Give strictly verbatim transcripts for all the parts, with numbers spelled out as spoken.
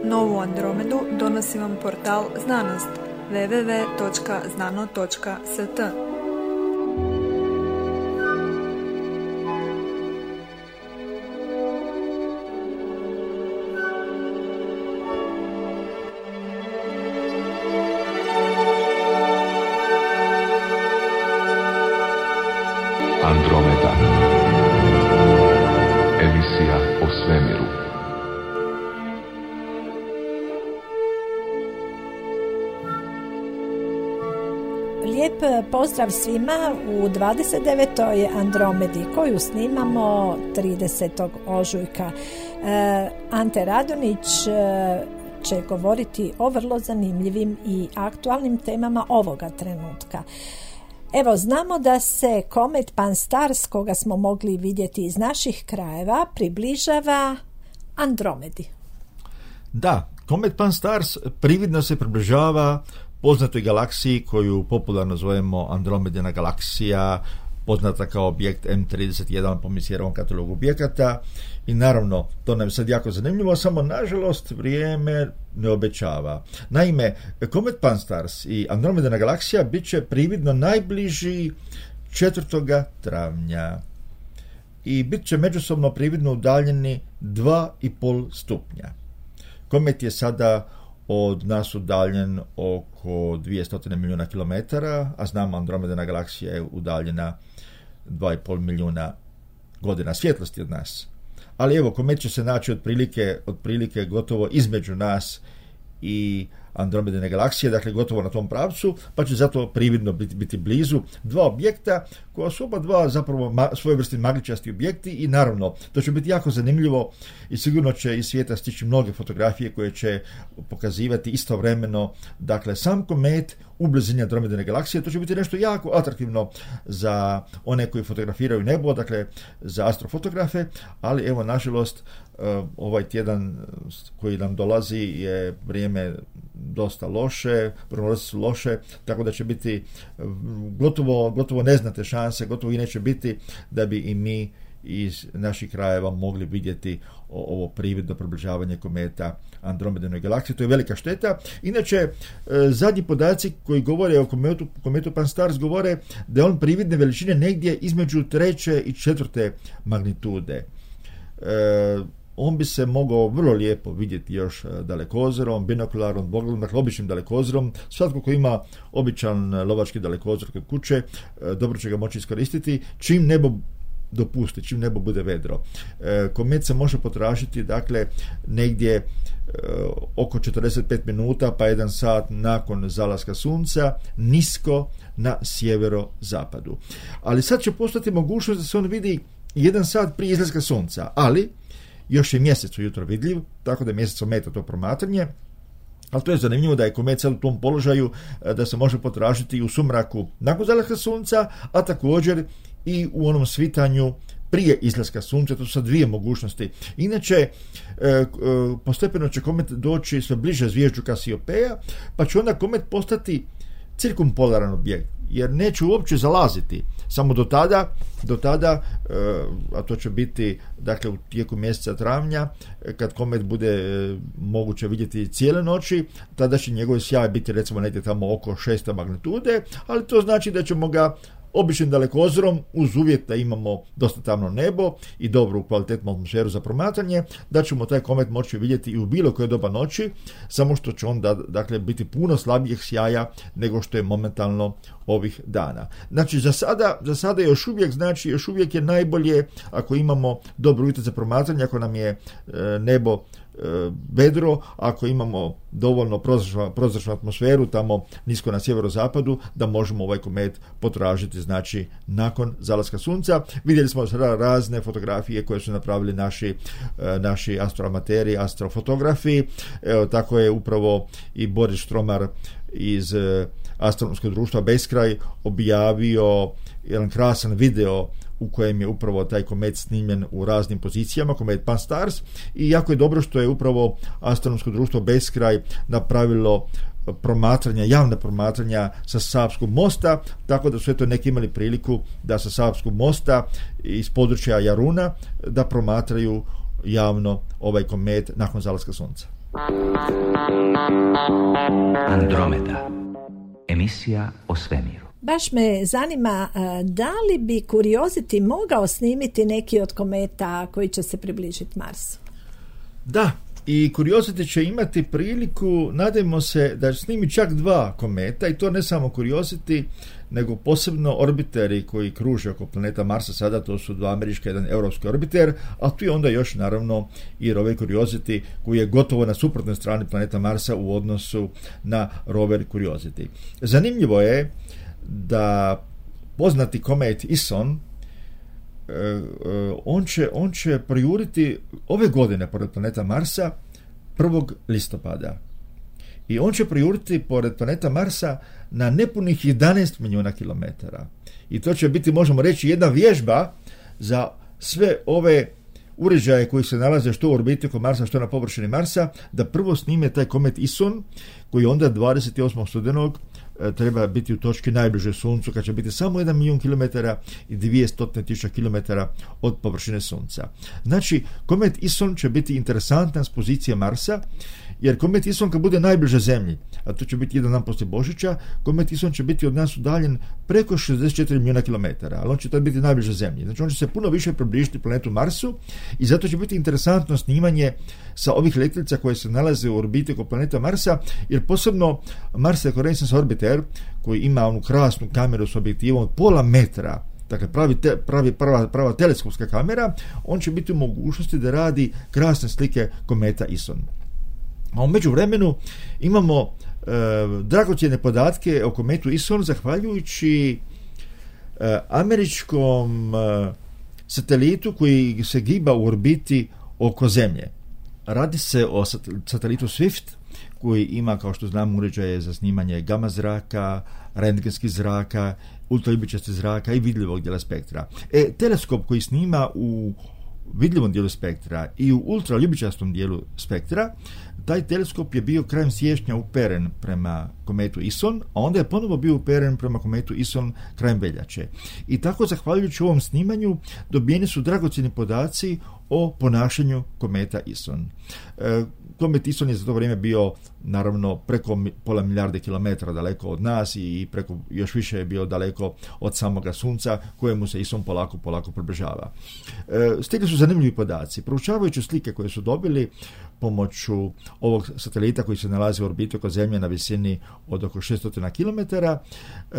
Novu Andromedu donosi vam portal Znanost w w w točka znano točka s t. Andromeda. Emisija o svemiru. Lijep pozdrav svima u dvadeset devetoj Andromedi koju snimamo tridesetog ožujka. E, Ante Radonić e, će govoriti o vrlo zanimljivim i aktualnim temama ovoga trenutka. Evo, znamo da se komet Pan-STARRS, koga smo mogli vidjeti iz naših krajeva, približava Andromedi. Da, komet Pan-STARRS prividno se približava poznatoj galaksiji koju popularno zovemo Andromedina galaksija, poznata kao objekt M trideset jedan po Messijerovom katalogu objekata, i naravno to nam je sad jako zanimljivo, samo nažalost vrijeme ne obećava. Naime, komet Pan-STARRS i Andromedina galaksija bit će prividno najbliži četvrtog travnja i bit će međusobno prividno udaljeni dva i pol stupnja. Komet je sada od nas udaljen oko dvjesto milijuna kilometara, a znamo Andromedina galaksija je udaljena dva i pol milijuna godina svjetlosti od nas. Ali evo, komet će se naći otprilike, otprilike gotovo između nas i Andromedine galaksije, dakle gotovo na tom pravcu, pa će zato prividno biti, biti blizu dva objekta koja su oba dva zapravo ma, svojevrsni magličasti objekti, i naravno to će biti jako zanimljivo i sigurno će iz svijeta stići mnoge fotografije koje će pokazivati istovremeno, dakle, sam komet u blizini Andromedine galaksije. To će biti nešto jako atraktivno za one koji fotografiraju nebo, dakle za astrofotografe, ali evo, nažalost, ovaj tjedan koji nam dolazi je vrijeme dosta loše, prognoze su loše, tako da će biti gotovo, gotovo neznate šanse, gotovo i neće biti da bi i mi iz naših krajeva mogli vidjeti ovo prividno približavanje kometa Andromedinoj galaksiji. To je velika šteta. Inače, zadnji podaci koji govore o kometu, kometu Pan-STARRS govore da je on prividne veličine negdje između treće i četvrte magnitude. E, on bi se mogao vrlo lijepo vidjeti još dalekozorom, binokularom, dvogledom, dakle običnim dalekozorom. Svatko ko ima običan lovački dalekozor kod kuće, dobro će ga moći iskoristiti čim nebo dopusti, čim nebo bude vedro. E, komet se može potražiti, dakle, negdje e, oko četrdeset pet minuta pa jedan sat nakon zalaska sunca, nisko na sjeverozapadu. Ali sad će postati mogućnost da se on vidi jedan sat prije izlaska sunca, ali još je mjesec ujutro vidljiv, tako da mjesec ometa to promatranje. Ali to je zanimljivo da je komet sad u tom položaju da se može potražiti u sumraku nakon zalaska sunca, a također i u onom svitanju prije izlaska sunca. To su sad dvije mogućnosti. Inače, e, e, postepeno će komet doći sve bliže zvijezdu Kasiopeja, pa će onda komet postati cirkumpolaran objekt, jer neće uopće zalaziti. Samo do tada, do tada, a to će biti, dakle, u tijeku mjeseca travnja, kad komet bude moguće vidjeti cijele noći, tada će njegov sjaj biti recimo negdje tamo oko šeste magnitude, ali to znači da ćemo ga običnim dalekozorom, uz uvjet da imamo dosta tamno nebo i dobru kvalitetnu atmosferu za promatranje, da ćemo taj komet moći vidjeti i u bilo koje doba noći, samo što će on da, dakle, biti puno slabijeg sjaja nego što je momentalno ovih dana. Znači, za sada, za sada još uvijek, znači, još uvijek je najbolje ako imamo dobru uvjete za promatranje, ako nam je e, nebo vedro, ako imamo dovoljno prozračnu, prozračnu atmosferu tamo nisko na sjeverozapadu, da možemo ovaj komet potražiti, znači, nakon zalaska sunca. Vidjeli smo sada razne fotografije koje su napravili naši, naši astroamateri, astrofotografi. Evo, tako je upravo i Boris Štromar iz astronomskog društva Beskraj objavio jedan krasan video u kojem je upravo taj komet snimljen u raznim pozicijama, komet Pan-STARRS, i jako je dobro što je upravo astronomsko društvo Beskraj napravilo promatranja, javna promatranja sa Savskog mosta, tako da su eto neki imali priliku da sa Savskog mosta iz područja Jaruna da promatraju javno ovaj komet nakon zalaska sunca. Andromeda. Emisija o svemiru. Baš me zanima da li bi Curiosity mogao snimiti neki od kometa koji će se približiti Marsu? Da, i Curiosity će imati priliku, nadajmo se, da snimi čak dva kometa, i to ne samo Curiosity, nego posebno orbiteri koji kruže oko planeta Marsa sada, to su dva američka, jedan europski orbiter, a tu je onda još naravno i rover Curiosity koji je gotovo na suprotnoj strani planeta Marsa u odnosu na rover Curiosity. Zanimljivo je da poznati komet Ison, on će, on će projuriti ove godine pored planeta Marsa prvog listopada. I on će projuriti pored planeta Marsa na nepunih jedanaest milijuna kilometara. I to će biti, možemo reći, jedna vježba za sve ove uređaje koji se nalaze što u orbiti oko Marsa, što na površini Marsa, da prvo snime taj komet Ison, koji onda dvadeset osmog studenog treba biti u točki najbliže Suncu, kad će biti samo jedan milijun kilometara i dvjesto tisuća kilometara od površine Sunca. Znači, komet Ison će biti interesantan s pozicije Marsa, jer komet Ison kad bude najbliže Zemlji, a to će biti jedan dan poslije Božića, komet Ison će biti od nas udaljen preko šezdeset četiri milijuna kilometara, ali on će tad biti najbliže Zemlji. Znači, on će se puno više približiti planetu Marsu i zato će biti interesantno snimanje sa ovih letjelica koje se nalaze u orbiti oko planeta Marsa, jer posebno Mars Reconnaissance Orbiter, koji ima onu krasnu kameru s objektivom od pola metra, dakle pravi, te, pravi prava, prava teleskopska kamera, on će biti u mogućnosti da radi krasne slike kometa Ison. A u međuvremenu imamo e, dragocjene podatke o kometu Ison zahvaljujući e, američkom e, satelitu koji se giba u orbiti oko Zemlje. Radi se o satelitu Swift, koji ima, kao što znamo, uređaje za snimanje gama zraka, rentgenskih zraka, ultraljubičastih zraka i vidljivog dijela spektra. E, teleskop koji snima u vidljivom dijelu spektra i u ultraljubičastom dijelu spektra, taj teleskop je bio krajem siječnja uperen prema kometu Ison, a onda je ponovo bio uperen prema kometu Ison krajem veljače. I tako, zahvaljujući ovom snimanju, dobijeni su dragocjeni podaci o ponašanju kometa Ison. E, komet Ison je za to vrijeme bio naravno preko pola milijarde kilometara daleko od nas i preko još više je bio daleko od samoga Sunca, kojemu se Ison polako polako približava. E, stigli su zanimljivi podaci. Proučavajući slike koje su dobili pomoću ovog satelita koji se nalazi u orbiti oko Zemlje na visini od oko šesto kilometara, e,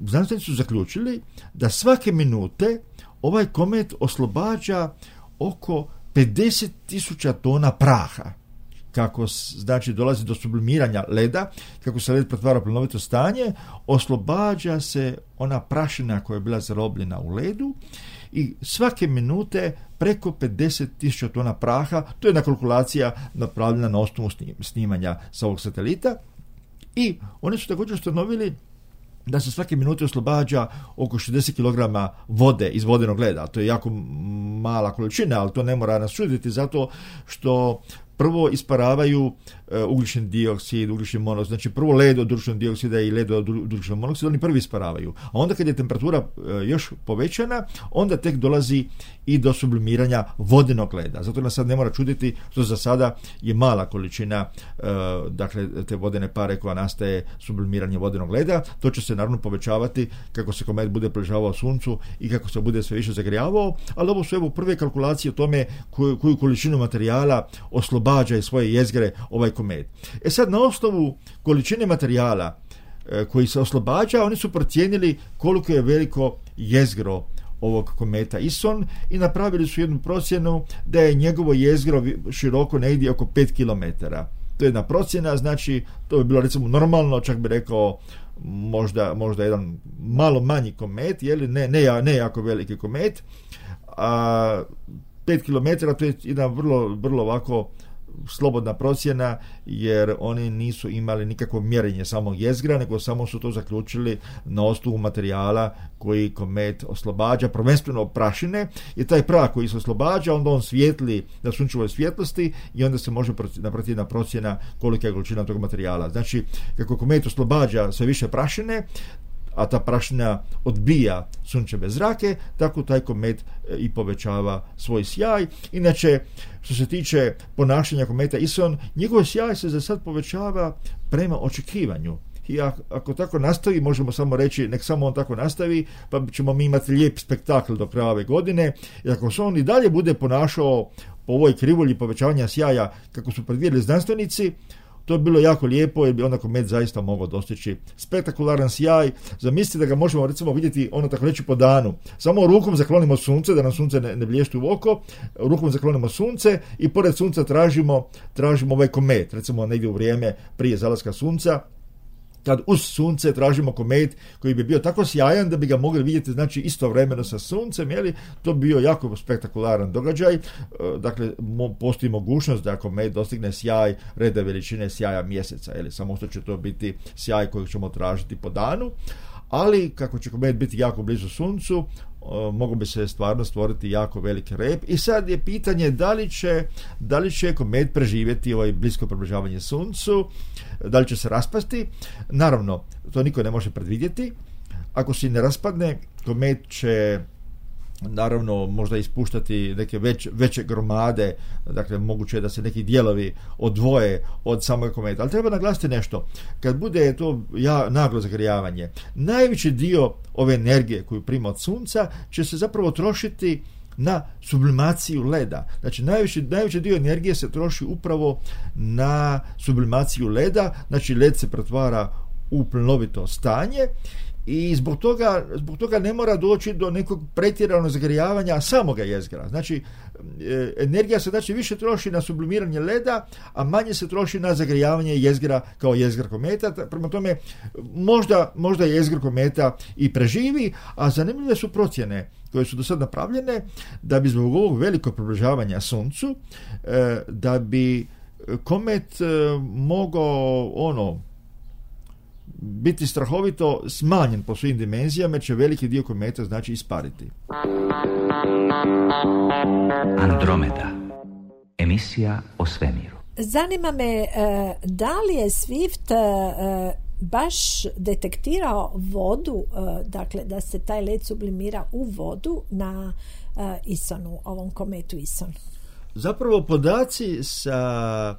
znanstvenici su zaključili da svake minute ovaj komet oslobađa oko pedeset tisuća tona praha. Kako znači dolazi do sublimiranja leda, kako se led pretvara u plinovito stanje, oslobađa se ona prašina koja je bila zarobljena u ledu i svake minute preko pedeset tisuća tona praha. To je jedna kalkulacija napravljena na osnovu snimanja sa ovog satelita. I oni su također ustanovili da se svake minute oslobađa oko šezdeset kilograma vode iz vodenog leda. To je jako mala količina, ali to ne mora nas čuditi zato što prvo isparavaju e, ugljični dioksid, ugljični monoksid, znači prvo led od ugljičnog dioksida i led od ugljičnog monoksida, oni prvi isparavaju. A onda kad je temperatura e, još povećana, onda tek dolazi i do sublimiranja vodenog leda. Zato nas sad ne mora čuditi što za sada je mala količina e, dakle te vodene pare koja nastaje sublimiranjem vodenog leda. To će se naravno povećavati kako se komet bude približavao Suncu i kako se bude sve više zagrijavao, ali ovo su evo prve kalkulacije o tome koju, koju količinu materijala oslobađa iz svoje jezgre ovaj komet. E sad, na osnovu količine materijala e, koji se oslobađa, oni su procijenili koliko je veliko jezgro ovog kometa Ison i napravili su jednu procjenu da je njegovo jezgro široko negdje oko pet kilometara. To je jedna procjena, znači to bi bilo recimo normalno, čak bi rekao možda, možda jedan malo manji komet, jeli? Ne, ne, ne jako veliki komet, a pet kilometara to je jedna vrlo, vrlo ovako slobodna procjena, jer oni nisu imali nikakvo mjerenje samog jezgra, nego samo su to zaključili na osnovu materijala koji komet oslobađa, prvenstveno prašine, i taj prah koji se oslobađa, onda on svijetli na sunčevoj svjetlosti i onda se može napraviti jedna procjena kolika je količina tog materijala. Znači, kako komet oslobađa sve više prašine, a ta prašina odbija sunčeve zrake, tako taj komet i povećava svoj sjaj. Inače, što se tiče ponašanja kometa Ison, njegov sjaj se za sad povećava prema očekivanju. I ako tako nastavi, možemo samo reći, nek samo on tako nastavi, pa ćemo mi imati lijep spektakl do kraja ove godine. I ako se on i dalje bude ponašao po ovoj krivulji povećavanja sjaja kako su predvidjeli znanstvenici, to bi bilo jako lijepo jer bi onda komet zaista mogao dostići spektakularan sjaj. Zamislite da ga možemo recimo vidjeti, ono tako reći, po danu. Samo rukom zaklonimo sunce, da nam sunce ne, ne blješti u oko, rukom zaklonimo sunce i pored sunca tražimo, tražimo ovaj komet, recimo negdje u vrijeme prije zalaska sunca, kad uz sunce tražimo komet koji bi bio tako sjajan da bi ga mogli vidjeti, znači istovremeno sa suncem, jeli, to bi bio jako spektakularan događaj. Dakle, mo, postoji mogućnost da komet dostigne sjaj reda veličine sjaja mjeseca, jeli, samo što će to biti sjaj kojeg ćemo tražiti po danu, ali kako će komet biti jako blizu suncu, mogu bi se stvarno stvoriti jako veliki rep. I sad je pitanje da li će, da li će komet preživjeti ovaj blisko približavanje suncu, da li će se raspasti. Naravno, to niko ne može predvidjeti. Ako se ne raspadne, komet će naravno možda ispuštati neke već, veće gromade, dakle moguće je da se neki dijelovi odvoje od samog kometa. Ali treba naglasiti nešto, kad bude to ja, naglo zagrijavanje, najveći dio ove energije koju prima od sunca će se zapravo trošiti na sublimaciju leda. Znači najveći, najveći dio energije se troši upravo na sublimaciju leda, znači led se pretvara u plinovito stanje i zbog toga, zbog toga ne mora doći do nekog pretjeranog zagrijavanja samoga jezgra. Znači, energija se znači više troši na sublimiranje leda, a manje se troši na zagrijavanje jezgra kao jezgra kometa. Prema tome, možda, možda jezgr kometa i preživi, a zanimljive su procjene koje su do sad napravljene da bi zbog ovog velikog približavanja suncu, da bi komet mogao ono biti strahovito smanjen po svim dimenzijama, jer će veliki dio kometa znači ispariti. Andromeda. Emisija o svemiru. Zanima me, da li je Swift baš detektirao vodu, dakle da se taj led sublimira u vodu na Isonu, ovom kometu Ison? Zapravo podaci sa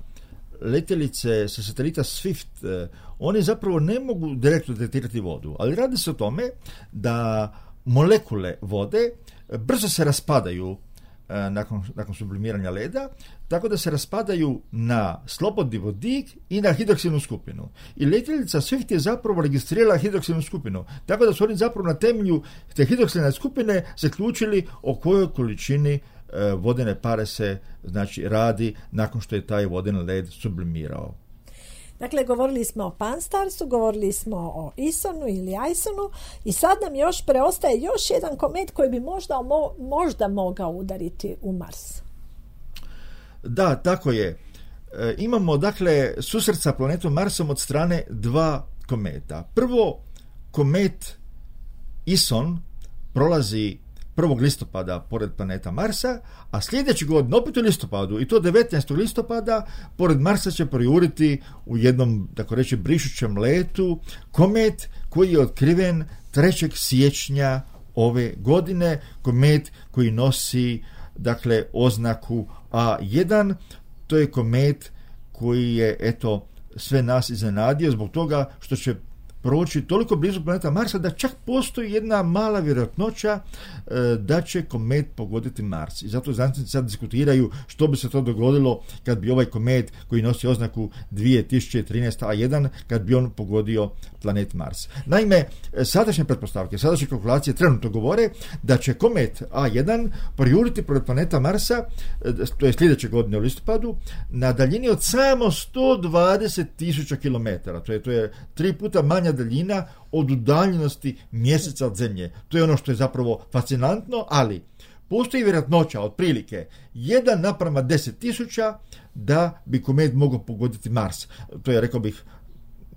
letjelice sa satelita Swift, oni zapravo ne mogu direktno detektirati vodu, ali radi se o tome da molekule vode brzo se raspadaju nakon, nakon sublimiranja leda, tako da se raspadaju na slobodni vodik i na hidroksidnu skupinu. I letjelica Swift je zapravo registrirala hidroksidnu skupinu, tako da su oni zapravo na temelju te hidroksidne skupine zaključili o kojoj količini vodene pare se znači radi nakon što je taj vodeni led sublimirao. Dakle, govorili smo o Pan-STARRSu, govorili smo o Isonu ili Isonu i sad nam još preostaje još jedan komet koji bi možda, možda mogao udariti u Mars. Da, tako je. E, imamo dakle susret sa planetom Marsom od strane dva kometa. Prvo, komet Ison prolazi prvog listopada pored planeta Marsa, a sljedeći godine, opet u listopadu, i to devetnaestog listopada, pored Marsa će projuriti u jednom, tako reći, brišućem letu komet koji je otkriven trećeg siječnja ove godine, komet koji nosi, dakle, oznaku A jedan. To je komet koji je, eto, sve nas iznenadio zbog toga što će proći toliko blizu planeta Marsa da čak postoji jedna mala vjerojatnoća e, da će komet pogoditi Mars. I zato znanstvenici sad diskutiraju što bi se to dogodilo kad bi ovaj komet koji nosi oznaku dvije tisuće trinaest A jedan, kad bi on pogodio planet Mars. Naime, sadašnje pretpostavke, sadašnje kalkulacije trenutno govore da će komet A jedan projuriti pored planeta Marsa, to je sljedeće godine u listopadu, na daljini od samo sto dvadeset tisuća kilometara. To je, to je tri puta manja daljina od udaljenosti mjeseca od Zemlje. To je ono što je zapravo fascinantno, ali postoji vjerojatnoća otprilike jedan naprama deset tisuća da bi komet mogao pogoditi Mars. To je, rekao bih,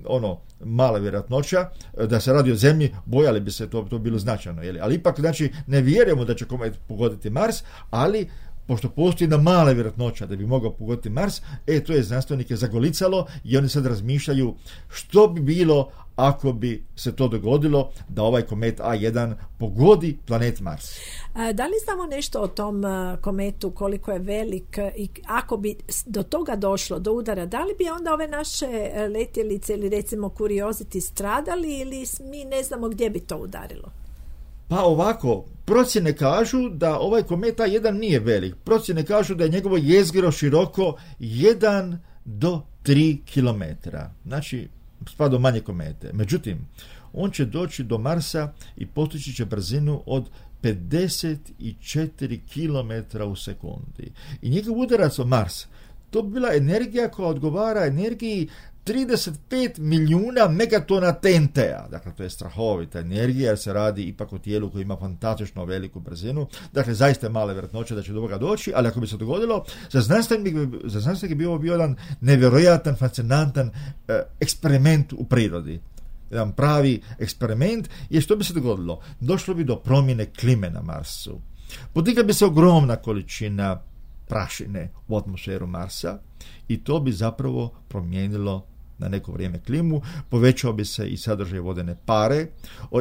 ono, mala vjerojatnoća. Da se radi o Zemlji, bojali bi se to, to bilo značajno. Jeli? Ali ipak, znači, ne vjerujemo da će komet pogoditi Mars, ali pošto postoji jedna mala vjerojatnoća da bi mogao pogoditi Mars, e, to je znanstvenike zagolicalo i oni sad razmišljaju što bi bilo ako bi se to dogodilo da ovaj komet A jedan pogodi planet Mars. A, da li znamo nešto o tom a, kometu, koliko je velik i ako bi do toga došlo, do udara, da li bi onda ove naše letjelice ili recimo Curiosity stradali ili mi ne znamo gdje bi to udarilo? Pa ovako, procjene kažu da ovaj komet A jedan nije velik. Procjene kažu da je njegovo jezgro široko jedan do tri kilometra. Znači, spada u manje komete. Međutim, on će doći do Marsa i postići će brzinu od pedeset četiri kilometra u sekundi. I njegov udarac o Mars, to bi bila energija koja odgovara energiji trideset pet milijuna megatona T N T-a. Dakle, to je strahovita energija jer se radi ipak o tijelu koji ima fantastično veliku brzinu. Dakle, zaista je male vjerojatnoće da će do ovoga doći, ali ako bi se dogodilo, za znanstvenike, za znanstvenike bi ovo bio jedan nevjerojatan, fascinantan eh, eksperiment u prirodi. Jedan pravi eksperiment, jer što bi se dogodilo? Došlo bi do promjene klime na Marsu. Podigla bi se ogromna količina prašine u atmosferu Marsa i to bi zapravo promijenilo na neko vrijeme klimu, povećao bi se i sadržaj vodene pare,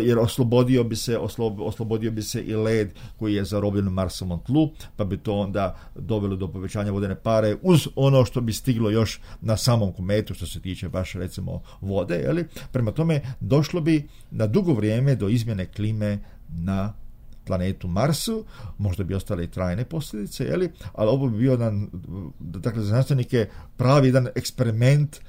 jer oslobodio bi se, oslo, oslobodio bi se i led koji je zarobljen u Marsovom tlu, pa bi to onda dovelo do povećanja vodene pare uz ono što bi stiglo još na samom kometu što se tiče baš recimo vode, jeli? Prema tome došlo bi na dugo vrijeme do izmjene klime na planetu Marsu, možda bi ostale i trajne posljedice, jeli? Ali ovo bi bio jedan, dakle, za znanstvenike pravi jedan eksperiment,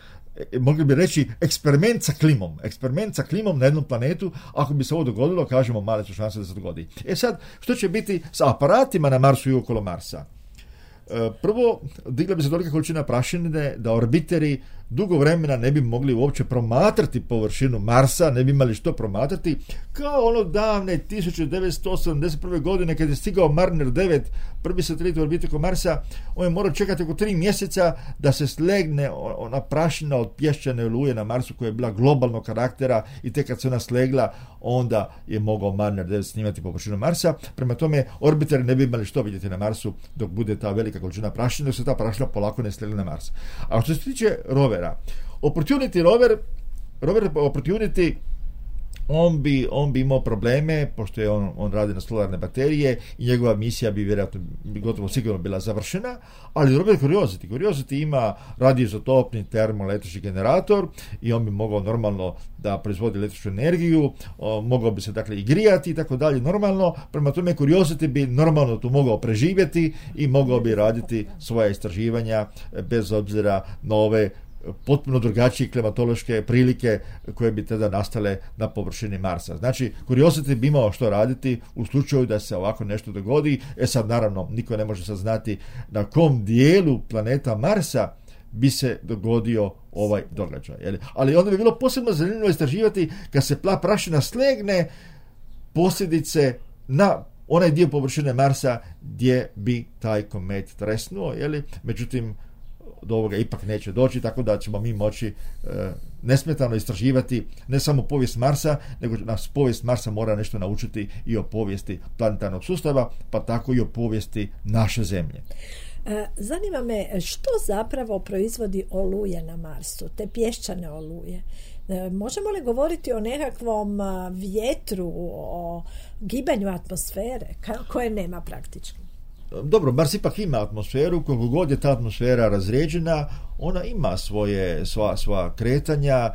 mogli bi reći eksperiment sa klimom, eksperiment sa klimom na jednom planetu. Ako bi se ovo dogodilo, kažemo, male su šanse da se dogodi. E sad, što će biti sa aparatima na Marsu i okolo Marsa? E, prvo, digla bi se tolika količina prašine da orbiteri dugo vremena ne bi mogli uopće promatrati površinu Marsa, ne bi imali što promatrati, kao ono davne tisuću devetsto osamdeset prve. godine kad je stigao Mariner devet, prvi satelit u orbitu oko Marsa, on je morao čekati oko tri mjeseca da se slegne ona prašina od pješčane oluje na Marsu koja je bila globalnog karaktera i tek kad se ona slegla, onda je mogao Mariner devet snimati površinu Marsa. Prema tome, orbiteri ne bi imali što vidjeti na Marsu dok bude ta velika količina prašine, dok se ta prašina polako ne slegne na Mars. A što se tiče rovera, Opportunity rover, rover Opportunity, on bi, on bi imao probleme, pošto je on, on radi na solarne baterije i njegova misija bi vjerojatno gotovo sigurno bila završena, ali rover Curiosity, Curiosity ima radioizotopni termoelektrični generator i on bi mogao normalno da proizvodi električnu energiju, o, mogao bi se dakle i grijati i tako dalje normalno, prema tome Curiosity bi normalno tu mogao preživjeti i mogao bi raditi svoja istraživanja bez obzira na ove potpuno drugačije klimatološke prilike koje bi tada nastale na površini Marsa. Znači, Curiosity bi imao što raditi u slučaju da se ovako nešto dogodi. E sad, naravno, niko ne može sad znati na kom dijelu planeta Marsa bi se dogodio ovaj događaj. Jel? Ali onda bi bilo posebno zanimljivo istraživati kad se pla prašina slegne posljedice na onaj dio površine Marsa gdje bi taj komet tresnuo. Jel? Međutim, do ovoga ipak neće doći, tako da ćemo mi moći e, nesmetano istraživati ne samo povijest Marsa, nego nas povijest Marsa mora nešto naučiti i o povijesti planetarnog sustava, pa tako i o povijesti naše Zemlje. Zanima me što zapravo proizvodi oluje na Marsu, te pješčane oluje. Možemo li govoriti o nekakvom vjetru, o gibanju atmosfere koje nema praktički? Dobro, Mars ipak ima atmosferu, koliko god je ta atmosfera razređena, ona ima svoje, sva, sva kretanja, e,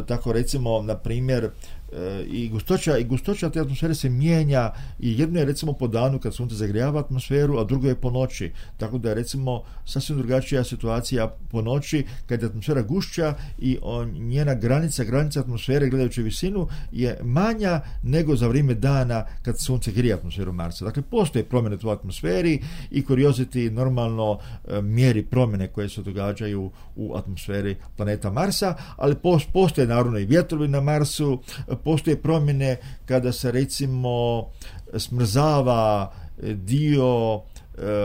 tako recimo, na primjer, e, i gustoća, i gustoća te atmosfere se mijenja i jedno je recimo po danu kad sunce zagrijava atmosferu, a drugo je po noći, tako da je recimo sasvim drugačija situacija po noći kad je atmosfera gušća i on, njena granica, granica atmosfere gledajući visinu je manja nego za vrijeme dana kad sunce grije atmosferu Marsa. Dakle, postoje promjene u atmosferi i Curiosity normalno e, mjeri promjene koje se događaju u atmosferi planeta Marsa, ali postoje naravno i vjetrovi na Marsu, postoje promjene kada se recimo smrzava dio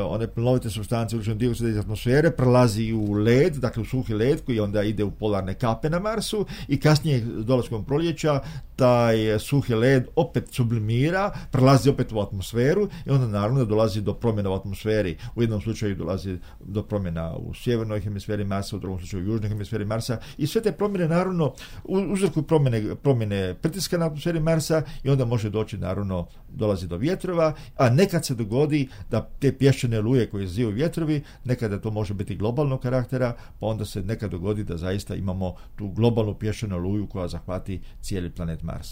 one plinovite supstance ugljičnog dioksida iz atmosfere prelazi u led, dakle u suhi led koji onda ide u polarne kape na Marsu i kasnije dolaskom proljeća taj suhi led opet sublimira, prelazi opet u atmosferu i onda naravno da dolazi do promjena u atmosferi. U jednom slučaju dolazi do promjena u sjevernoj hemisferi Marsa, u drugom slučaju u južnoj hemisferi Marsa i sve te promjene naravno uzrokuju promjene, promjene pritiska na atmosferi Marsa i onda može doći naravno dolazi do vjetrova, a nekad se dogodi da te pješčane oluje koje izazivaju vjetrovi, nekada to može biti globalnog karaktera, pa onda se nekad dogodi da zaista imamo tu globalnu pješčanu oluju koja zahvati cijeli planet Mars.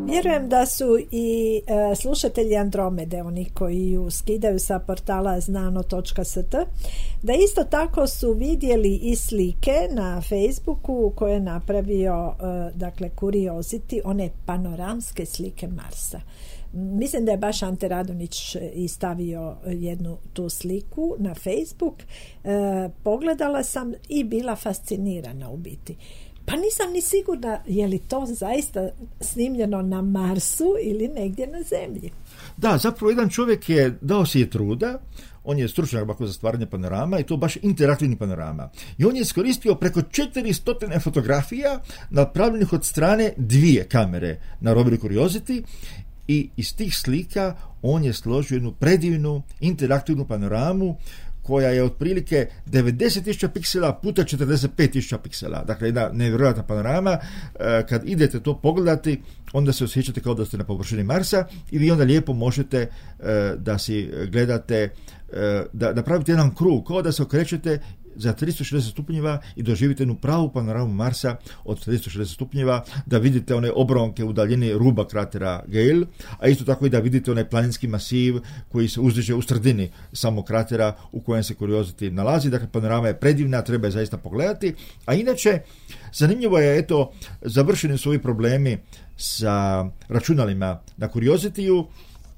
Vjerujem da su i e, slušatelji Andromede, oni koji ju skidaju sa portala znano točka s t, da isto tako su vidjeli i slike na Facebooku koje je napravio e, dakle Curiosity, one panoramske slike Marsa. Mislim da je baš Ante Radonić i stavio jednu tu sliku na Facebook. E, pogledala sam i bila fascinirana u biti. Pa nisam ni sigurna je li to zaista snimljeno na Marsu ili negdje na Zemlji. Da, zapravo jedan čovjek je dao si je truda, on je stručnjak bako za stvaranje panorama i to baš interaktivni panorama. I on je iskoristio preko četiristo fotografija napravljenih od strane dvije kamere na roveru Curiosity i iz tih slika on je složio jednu predivnu interaktivnu panoramu koja je otprilike devedeset tisuća piksela puta četrdeset pet tisuća piksela. Dakle, jedna nevjerojatna panorama. Kad idete to pogledati, onda se osjećate kao da ste na površini Marsa i vi onda lijepo možete da si gledate, da, da pravite jedan krug, kao da se okrećete za tristo šezdeset stupnjeva i doživite jednu pravu panoramu Marsa od tristo šezdeset stupnjeva, da vidite one obronke u daljini ruba kratera Gale, a isto tako i da vidite onaj planinski masiv koji se uzdiže u sredini samog kratera u kojem se Curiosity nalazi. Dakle, panorama je predivna, treba je zaista pogledati. A inače, zanimljivo je, eto, završeni su ovi problemi sa računalima na Curiosity-u,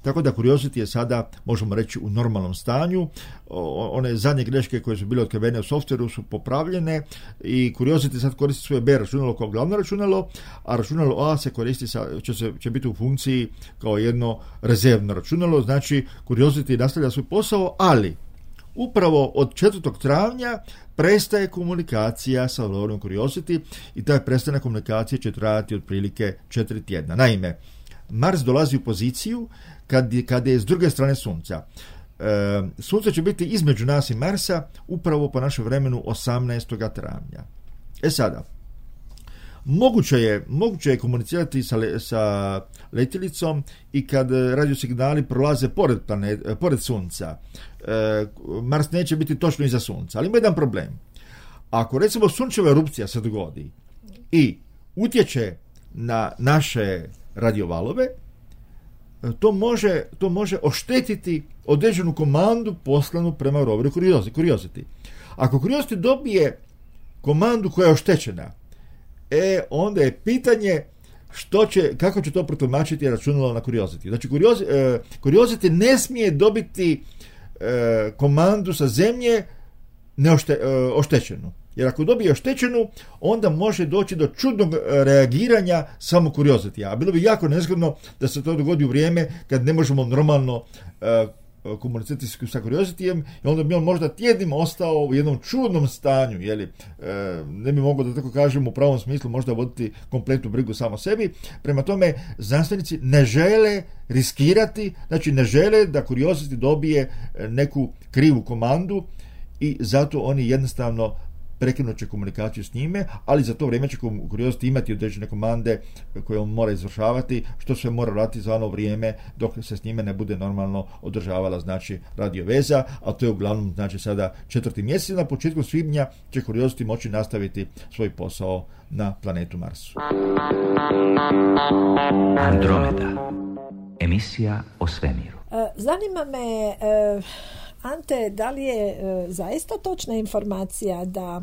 tako da Curiosity je sada, možemo reći, u normalnom stanju. One zadnje greške koje su bile otkrivene u softveru su popravljene i Curiosity sad koristi svoje B računalo kao glavno računalo, a računalo A se koristi sa, će, se, će biti u funkciji kao jedno rezervno računalo. Znači, Curiosity nastavlja svoj posao, ali upravo od četvrtog travnja prestaje komunikacija sa roverom Curiosity i taj prestanak komunikacije će trajati otprilike četiri tjedna. Naime, Mars dolazi u poziciju kad, kad je s druge strane Sunca. E, Sunce će biti između nas i Marsa upravo po našem vremenu osamnaestog travnja. E sada, moguće je, moguće je komunicirati sa, le, sa letjelicom i kad radiosignali prolaze pored, planet, pored Sunca. E, Mars neće biti točno iza Sunca, ali ima jedan problem. Ako recimo sunčeva erupcija se dogodi i utječe na naše radiovalove, to može, to može oštetiti određenu komandu poslanu prema roveru Curiosity. Ako Curiosity dobije komandu koja je oštećena, e, onda je pitanje što će, kako će to protumačiti računalo na Curiosity. Znači, Curiosity, eh, Curiosity ne smije dobiti eh, komandu sa Zemlje neošte, eh, oštećenu. Jer ako dobije oštećenu, onda može doći do čudnog reagiranja samo Curiosity. A bilo bi jako nezgodno da se to dogodi u vrijeme kad ne možemo normalno uh, komunicirati sa Curiosity-em i onda bi on možda tjednim ostao u jednom čudnom stanju, jeli, uh, ne bi mogao, da tako kažem, u pravom smislu možda voditi kompletnu brigu samo sebi. Prema tome, znanstvenici ne žele riskirati, znači ne žele da Curiosity dobije neku krivu komandu i zato oni jednostavno prekinut će komunikaciju s njime, ali za to vrijeme će Curiosity imati određene komande koje on mora izvršavati, što sve mora raditi za ono vrijeme dok se s njime ne bude normalno održavala, znači, radioveza, a to je uglavnom, znači, sada četvrti mjesec i na početku svibnja će Curiosity moći nastaviti svoj posao na planetu Marsu. Andromeda. Emisija o svemiru. Zanima me, Ante, da li je e, zaista točna informacija da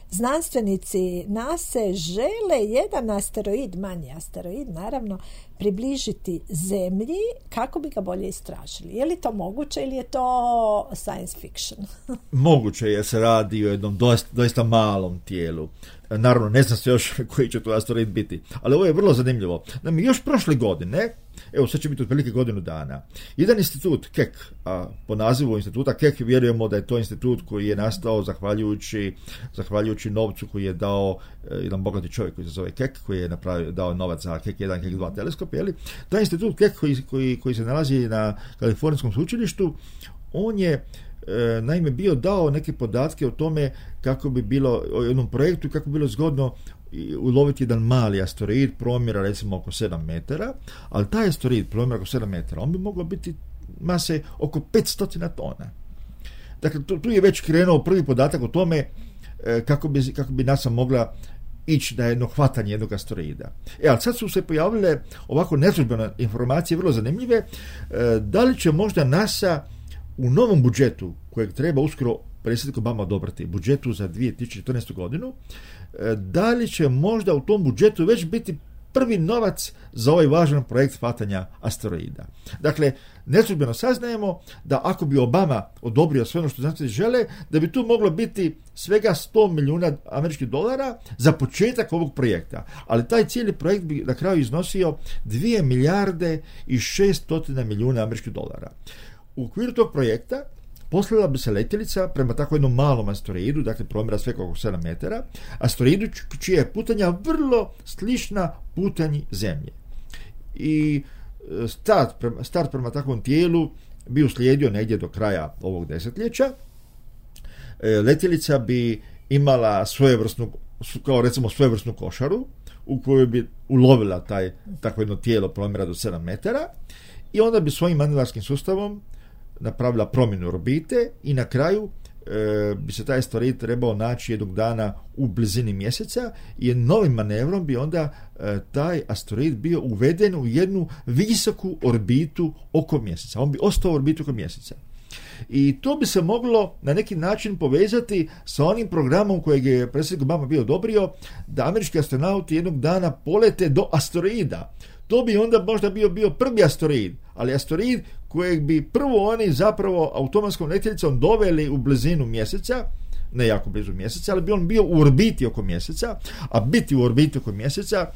znanstvenici NASA žele jedan asteroid, manji asteroid naravno, približiti Zemlji kako bi ga bolje istražili? Je li to moguće ili je to science fiction? Moguće je, se radi o jednom doista, doista malom tijelu. Naravno, ne zna se još koji će to asteroid biti, ali ovo je vrlo zanimljivo. Naime, još prošle godine, evo sad će biti otprilike godinu dana, jedan institut Keck, a po nazivu instituta Keck vjerujemo da je to institut koji je nastao zahvaljujući, zahvaljujući novcu koji je dao eh, jedan bogati čovjek koji se zove Keck, koji je napravio, dao novac za Keck jedan, Keck dva teleskop, jeli? Taj institut Keck koji, koji, koji se nalazi na Kalifornijskom sveučilištu, on je E, naime bio dao neke podatke o tome kako bi bilo, o jednom projektu, kako bi bilo zgodno uloviti jedan mali asteroid promjera recimo oko sedam metara, ali taj asteroid promjera oko sedam metara, on bi mogao biti mase oko petsto tona. Dakle, tu, tu je već krenuo prvi podatak o tome e, kako bi, kako bi NASA mogla ići na jedno hvatanje jednog asteroida. E, ali sad su se pojavile ovako neslužbene informacije, vrlo zanimljive, e, da li će možda NASA u novom budžetu, kojeg treba uskoro predsjednik Obama odobriti, budžetu za dvije tisuće četrnaestu godinu, da li će možda u tom budžetu već biti prvi novac za ovaj važan projekt hvatanja asteroida. Dakle, neslužbeno saznajemo da ako bi Obama odobrio sve ono što znanstvenici žele, da bi tu moglo biti svega sto milijuna američkih dolara za početak ovog projekta. Ali taj cijeli projekt bi na kraju iznosio dvije milijarde i šeststo milijuna američkih dolara. U okviru tog projekta poslala bi se letjelica prema tako jednom malom asteroidu, dakle promjera svega oko sedam metara, asteroidu čija je putanja vrlo slična putanji Zemlje. I start prema, start prema takvom tijelu bi uslijedio negdje do kraja ovog desetljeća. Letjelica bi imala svojevrsnu, kao recimo svojevrsnu košaru u kojoj bi ulovila taj takvo jedno tijelo promjera do sedam metara i onda bi svojim manevrarskim sustavom napravila promjenu orbite i na kraju e, bi se taj asteroid trebao naći jednog dana u blizini mjeseca i novim manevrom bi onda e, taj asteroid bio uveden u jednu visoku orbitu oko mjeseca. On bi ostao u orbitu oko mjeseca. I to bi se moglo na neki način povezati sa onim programom kojeg je predsjednik Obama bio odobrio, da američki astronauti jednog dana polete do asteroida. To bi onda možda bio, bio prvi asteroid, ali asteroid kojeg bi prvo oni zapravo automatskom letjelicom doveli u blizinu mjeseca, ne jako blizu mjeseca, ali bi on bio u orbiti oko mjeseca, a biti u orbiti oko mjeseca,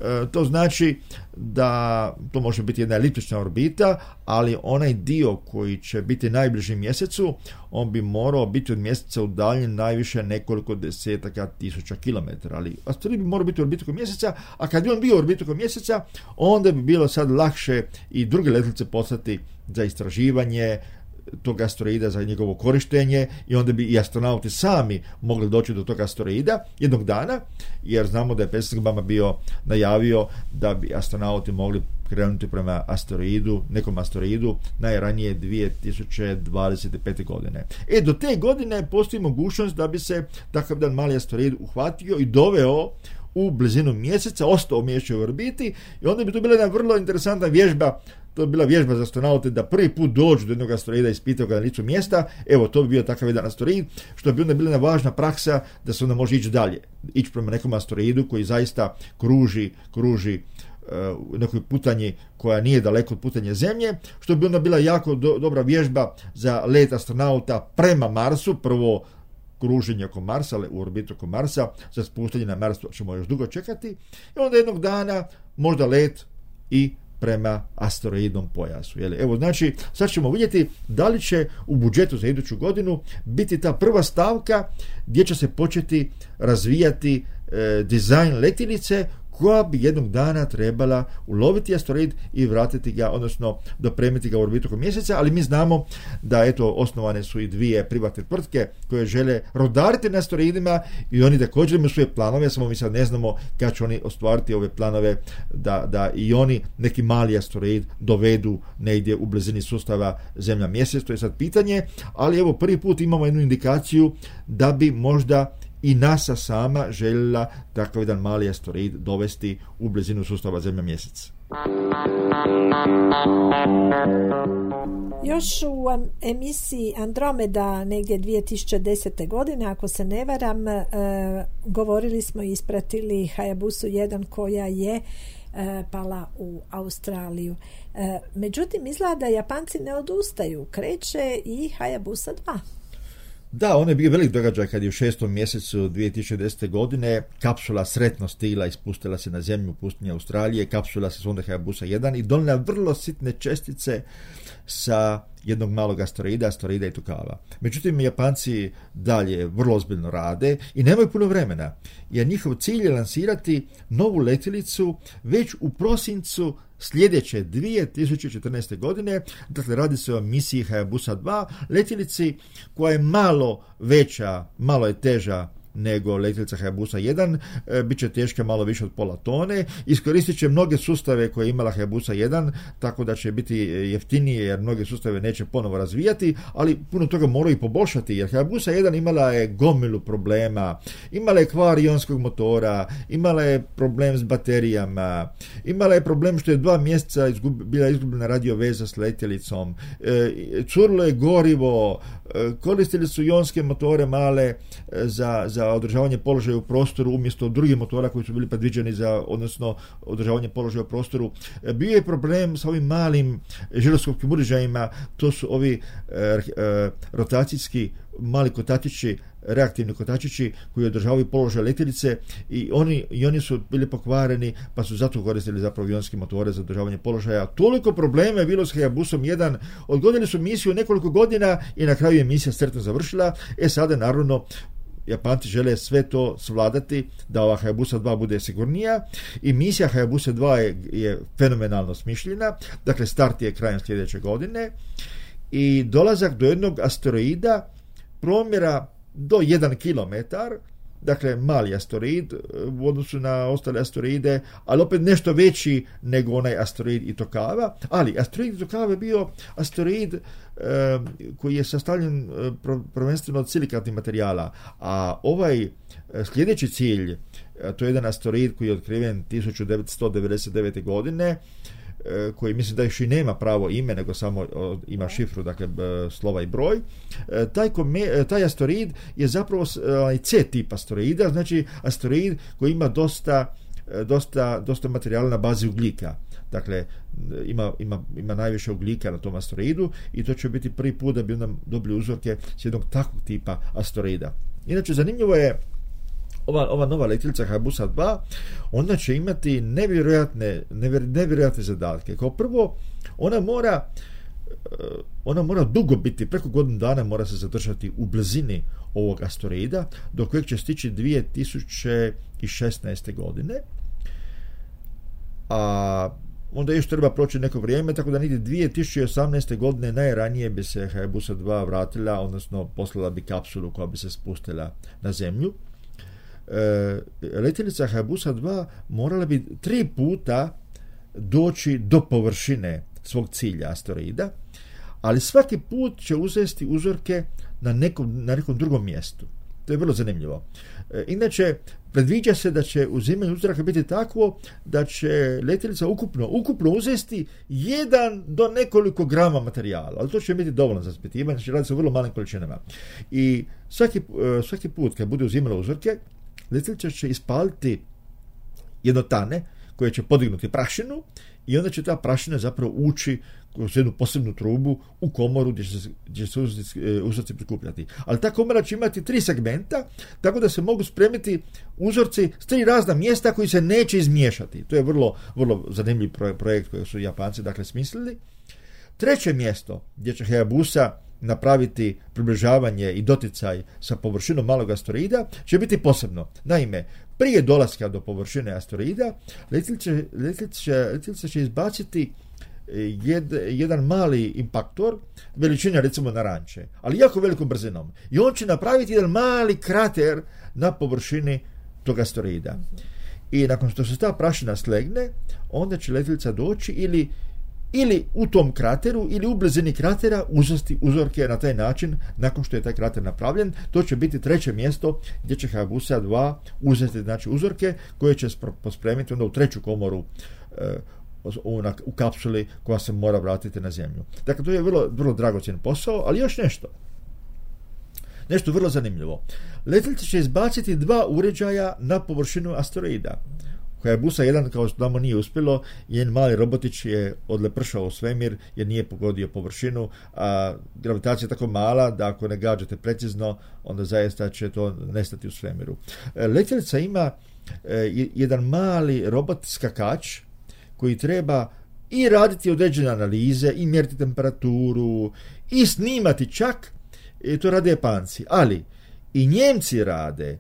e, to znači da to može biti jedna eliptična orbita, ali onaj dio koji će biti najbliži mjesecu, on bi morao biti od mjeseca udaljen najviše nekoliko desetaka tisuća kilometara, ali asteroid bi morao biti u orbitu oko mjeseca, a kad bi on bio u orbitu oko mjeseca, onda bi bilo sad lakše i druge letjelice poslati za istraživanje tog asteroida, za njegovo korištenje, i onda bi i astronauti sami mogli doći do tog asteroida jednog dana, jer znamo da je predsjednik Obama bio najavio da bi astronauti mogli krenuti prema asteroidu, nekom asteroidu najranije dvije tisuće dvadeset pete. godine. E, do te godine postoji mogućnost da bi se takav jedan mali asteroid uhvatio i doveo u blizinu mjeseca, ostao umješćen u orbiti, i onda bi to bila jedna vrlo interesantna vježba. To je bila vježba za astronaute da prvi put dođu do jednog asteroida i ispitaju ga na licu mjesta. Evo, to bi bio takav jedan asteroid, što bi onda bila jedna važna praksa da se onda može ići dalje, ići prema nekom asteroidu koji zaista kruži, kruži u nekoj putanji koja nije daleko od putanje Zemlje, što bi onda bila jako do, dobra vježba za let astronauta prema Marsu, prvo kruženje oko Marsa, ali u orbitu oko Marsa, za spuštanje na Marsu ćemo još dugo čekati, i onda jednog dana možda let i prema asteroidnom pojasu. Jeli? Evo, znači, sad ćemo vidjeti da li će u budžetu za iduću godinu biti ta prva stavka gdje će se početi razvijati e, dizajn letjelice koja bi jednog dana trebala uloviti asteroid i vratiti ga, odnosno dopremiti ga u orbitu oko mjeseca, ali mi znamo da eto osnovane su i dvije privatne tvrtke koje žele rodariti na asteroidima i oni također imaju svoje planove, samo mi sad ne znamo kad će oni ostvariti ove planove da, da i oni neki mali asteroid dovedu negdje u blizini sustava Zemlja mjesec, to je sad pitanje, ali evo prvi put imamo jednu indikaciju da bi možda i NASA sama željela takav jedan mali asteroid dovesti u blizinu sustava Zemlja mjesec. Još u emisiji Andromeda negdje dvije tisuće desete. godine, ako se ne varam, e, govorili smo i ispratili Hayabusu jedan koja je e, pala u Australiju. E, međutim, izgleda da Japanci ne odustaju. Kreće i Hayabusa dva. Da, on je bio velik događaj kad je u šestom mjesecu dvije tisuće desete. godine kapsula sretno stigla i spustila se na zemlju u pustinji Australije. Kapsula se sonde Hayabusa jedan i donijela vrlo sitne čestice sa jednog malog asteroida, asteroida Itokawa. Međutim, Japanci dalje vrlo ozbiljno rade i nemaju puno vremena, jer njihov cilj je lansirati novu letjelicu već u prosincu sljedeće dvije tisuće četrnaeste. godine. Dakle, radi se o misiji Hayabusa dva, letjelici koja je malo veća, malo je teža nego letjelica Hayabusa jedan, e, bit će teška malo više od pola tone, iskoristit će mnoge sustave koje je imala Hayabusa jedan, tako da će biti jeftinije jer mnoge sustave neće ponovo razvijati, ali puno toga moraju i poboljšati, jer Hayabusa jedan imala je gomilu problema, imala je kvar ionskog motora, imala je problem s baterijama, imala je problem što je dva mjeseca izgub, bila izgubljena radio veza s letjelicom, e, curilo je gorivo, e, koristili su ionske motore male e, za, za održavanje položaja u prostoru umjesto drugih motora koji su bili predviđeni za, odnosno održavanje položaja u prostoru. Bio je problem sa ovim malim žiroskopskim uređajima, to su ovi e, e, rotacijski mali kotačići, reaktivni kotačići koji održavaju položaj letjelice i oni, i oni su bili pokvareni, pa su zato koristili zapravo ionske motore za održavanje položaja. Toliko problema je bilo s Hayabusom jedan, odgodili su misiju nekoliko godina i na kraju je misija sretno završila. E sada naravno Japanci žele sve to svladati da ova Hayabusa dva bude sigurnija i misija Hayabusa dva je, je fenomenalno smišljena. Dakle, start je krajem sljedeće godine i dolazak do jednog asteroida promjera do jedan kilometar, dakle mali asteroid u odnosu na ostale asteroide, ali opet nešto veći nego onaj asteroid Itokawa, ali asteroid Itokawa je bio asteroid e, koji je sastavljen e, prvenstveno od silikatnih materijala, a ovaj e, sljedeći cilj, e, to je jedan asteroid koji je otkriven tisuću devetsto devedeset devete. godine, koji mislim da još i nema pravo ime, nego samo ima šifru, dakle slova i broj. Taj, kome, taj asteroid je zapravo C tip asteroida, znači asteroid koji ima dosta, dosta, dosta materijala na bazi ugljika. Dakle, ima, ima, ima najviše ugljika na tom asteroidu i to će biti prvi put da bi nam dobili uzorke s jednog takvog tipa asteroida. Inače, zanimljivo je Ova, ova nova letjelica Hayabusa dva, ona će imati nevjerojatne, nevjer, nevjerojatne zadatke. Kao prvo, ona mora ona mora dugo biti, preko godinu dana mora se zadržati u blizini ovog asteroida, do kojeg će stići dvije tisuće šesnaeste. godine. A onda još treba proći neko vrijeme, tako da niti dvije tisuće osamnaeste. godine najranije bi se Hayabusa dva vratila, odnosno poslala bi kapsulu koja bi se spustila na zemlju. E, letjelica Hayabusa dva morala bi tri puta doći do površine svog cilja asteroida, ali svaki put će uzeti uzorke na nekom, na nekom drugom mjestu. To je vrlo zanimljivo. E, inače, predviđa se da će uzimanje uzoraka biti takvo da će letjelica ukupno, ukupno uzeti jedan do nekoliko grama materijala, ali to će biti dovoljno za ispitivanje, znači radi se o vrlo malim količinama. I svaki, svaki put kad bude uzimala uzorke, letjelica će ispaliti jednotane koje će podignuti prašinu i onda će ta prašina zapravo ući kroz jednu posebnu trubu u komoru gdje će se, gdje će se uzorci prikupljati. Ali ta komora će imati tri segmenta, tako da se mogu spremiti uzorci s tri razna mjesta koji se neće izmiješati. To je vrlo, vrlo zanimljiv projekt koji su Japanci dakle smislili. Treće mjesto gdje će Hayabusa napraviti približavanje i doticaj sa površinom malog asteroida će biti posebno. Naime, prije dolaska do površine asteroida letjelica će izbaciti jed, jedan mali impaktor veličine recimo naranče, ali jako velikom brzinom. I on će napraviti jedan mali krater na površini tog asteroida. I nakon što se ta prašina slegne, onda će letjelica doći ili ili u tom krateru ili u blizini kratera uzeti uzorke na taj način nakon što je taj krater napravljen. To će biti treće mjesto gdje će Hayabusa dva uzeti znači uzorke koje će pospremiti onda u treću komoru e, u, na, u kapsuli koja se mora vratiti na zemlju. Dakle, to je vrlo, vrlo dragocjen posao, ali još nešto. Nešto vrlo zanimljivo. Letjelica će izbaciti dva uređaja na površinu asteroida. Hayabusa jedan, kao što tamo nije uspjelo, jedan mali robotić je odlepršao u svemir jer nije pogodio površinu, a gravitacija je tako mala da ako ne gađate precizno, onda zaista će to nestati u svemiru. Letjelica ima jedan mali robot skakač koji treba i raditi određene analize, i mjeriti temperaturu, i snimati čak, i to rade Japanci, ali i Njemci rade,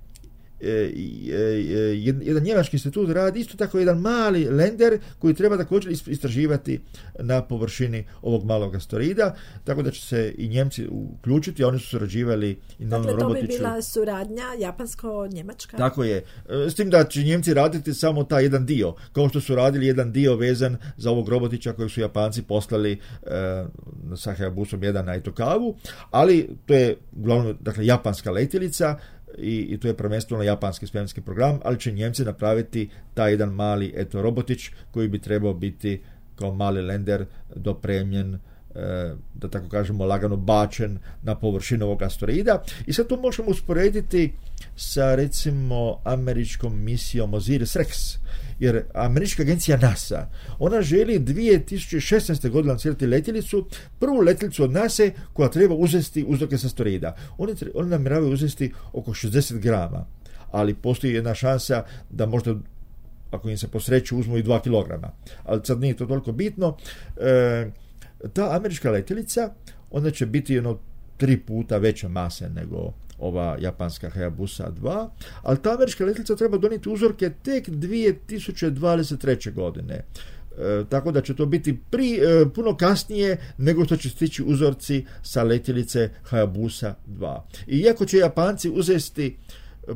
jedan njemački institut radi isto tako jedan mali lender koji treba također istraživati na površini ovog malog asteroida, tako da će se i Njemci uključiti, a oni su surađivali i na dakle, onom robotiću. To bi bila suradnja japansko-njemačka? Tako je. S tim da će Njemci raditi samo taj jedan dio, kao što su radili jedan dio vezan za ovog robotića kojeg su Japanci poslali e, sa Hayabusom jedan na Itokavu, ali to je uglavnom, dakle, japanska letjelica, I, i to je prvenstveno japanski svemirski program, ali će Njemci napraviti taj jedan mali eto robotić koji bi trebao biti kao mali lender dopremljen, e, da tako kažemo lagano bačen na površinu ovog asteroida. I sad to možemo usporediti sa recimo američkom misijom Osiris-Rex, jer američka agencija NASA, ona želi dvije tisuće šesnaeste. godine lancirati letjelicu, prvu letjelicu od NASA koja treba uzeti uzorke sa asteroida. Oni, oni namjeravaju uzeti oko šezdeset grama, ali postoji jedna šansa da možda, ako im se posreću, uzmu i dva kilograma. Ali sad nije to toliko bitno. E, ta američka letjelica, ona će biti jedno tri puta veća mase nego ova japanska Hayabusa dva, ali ta američka letjelica treba donijeti uzorke tek dvije tisuće dvadeset treće. godine. E, tako da će to biti pri, e, puno kasnije nego što će stići uzorci sa letjelice Hayabusa dva. I iako će Japanci uzeti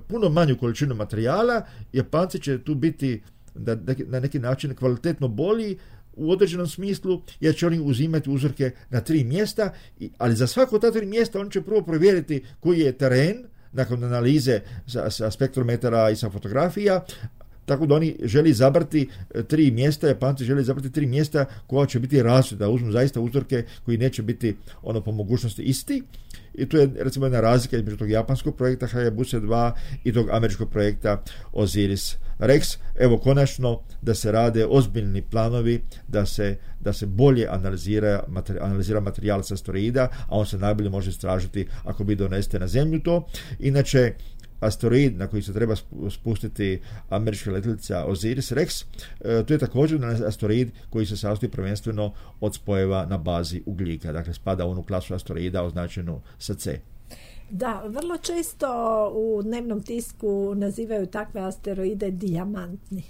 puno manju količinu materijala, Japanci će tu biti da, na neki način kvalitetno bolji u određenom smislu, jer će oni uzimati uzorke na tri mjesta, ali za svako ta tri mjesta oni će prvo provjeriti koji je teren, nakon analize sa, sa spektrometara i sa fotografija, tako da oni želi izabrati tri mjesta, Japanci želi izabrati tri mjesta koja će biti različita, da uzmu zaista uzorke koji neće biti ono po mogućnosti isti. I tu je recimo jedna razlika između tog japanskog projekta Hayabusa dva i tog američkog projekta Osiris-Rex. Evo konačno da se rade ozbiljni planovi, da se, da se bolje analizira, materi, analizira materijal sa asteroida, a on se najbolje može istražiti ako bi doneste na Zemlju to. Inače, asteroid na koji se treba spustiti američka letjelica Osiris-Rex, e, to je također asteroid koji se sastoji prvenstveno od spojeva na bazi ugljika, dakle spada u onu klasu asteroida označenu sa C. Da, vrlo često u dnevnom tisku nazivaju takve asteroide dijamantni.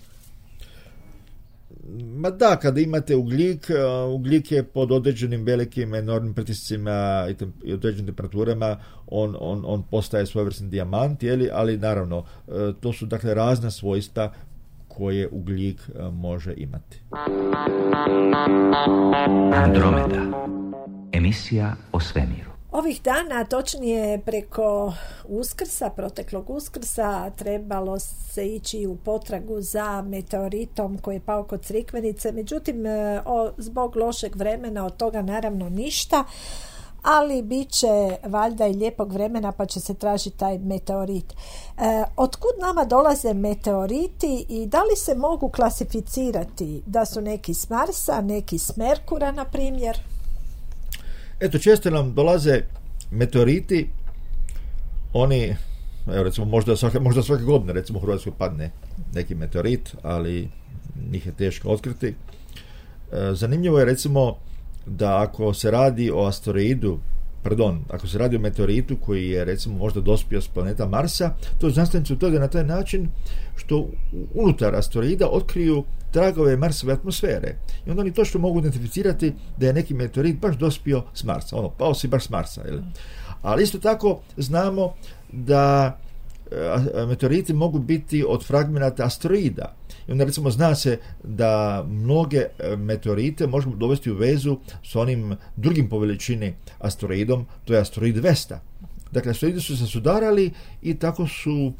Ma da, kada imate ugljik, ugljik je pod određenim velikim enormnim pritiscima i, tem, i određenim temperaturama, on, on, on postaje svojevrsni dijamant, jeli, ali naravno, to su dakle razna svojstva koje ugljik može imati. Andromeda. Emisija o svemiru. Ovih dana, točnije preko Uskrsa, proteklog Uskrsa, trebalo se ići u potragu za meteoritom koji je pao kod Crikvenice, međutim, o, zbog lošeg vremena od toga naravno ništa, ali bit će valjda i lijepog vremena pa će se tražiti taj meteorit. E, otkud nama dolaze meteoriti i da li se mogu klasificirati da su neki s Marsa, neki s Merkura, na primjer? Eto, često nam dolaze meteoriti, oni, evo recimo, možda svake, možda svake godine, recimo u Hrvatskoj padne neki meteorit, ali njih je teško otkriti. E, zanimljivo je recimo da ako se radi o asteroidu, pardon, ako se radi o meteoritu koji je recimo možda dospio s planeta Marsa, to znanstvenici utvrde na taj način što unutar asteroida otkriju tragove Marsove atmosfere. I onda oni točno mogu identificirati da je neki meteorit baš dospio s Marsa. Ono, pao si baš s Marsa. Jel? Ali isto tako znamo da a, meteoriti mogu biti od fragmenata asteroida. I onda recimo zna se da mnoge meteorite možemo dovesti u vezu s onim drugim po veličini asteroidom, to je asteroid Vesta. Dakle, asteroidi su se sudarali i tako su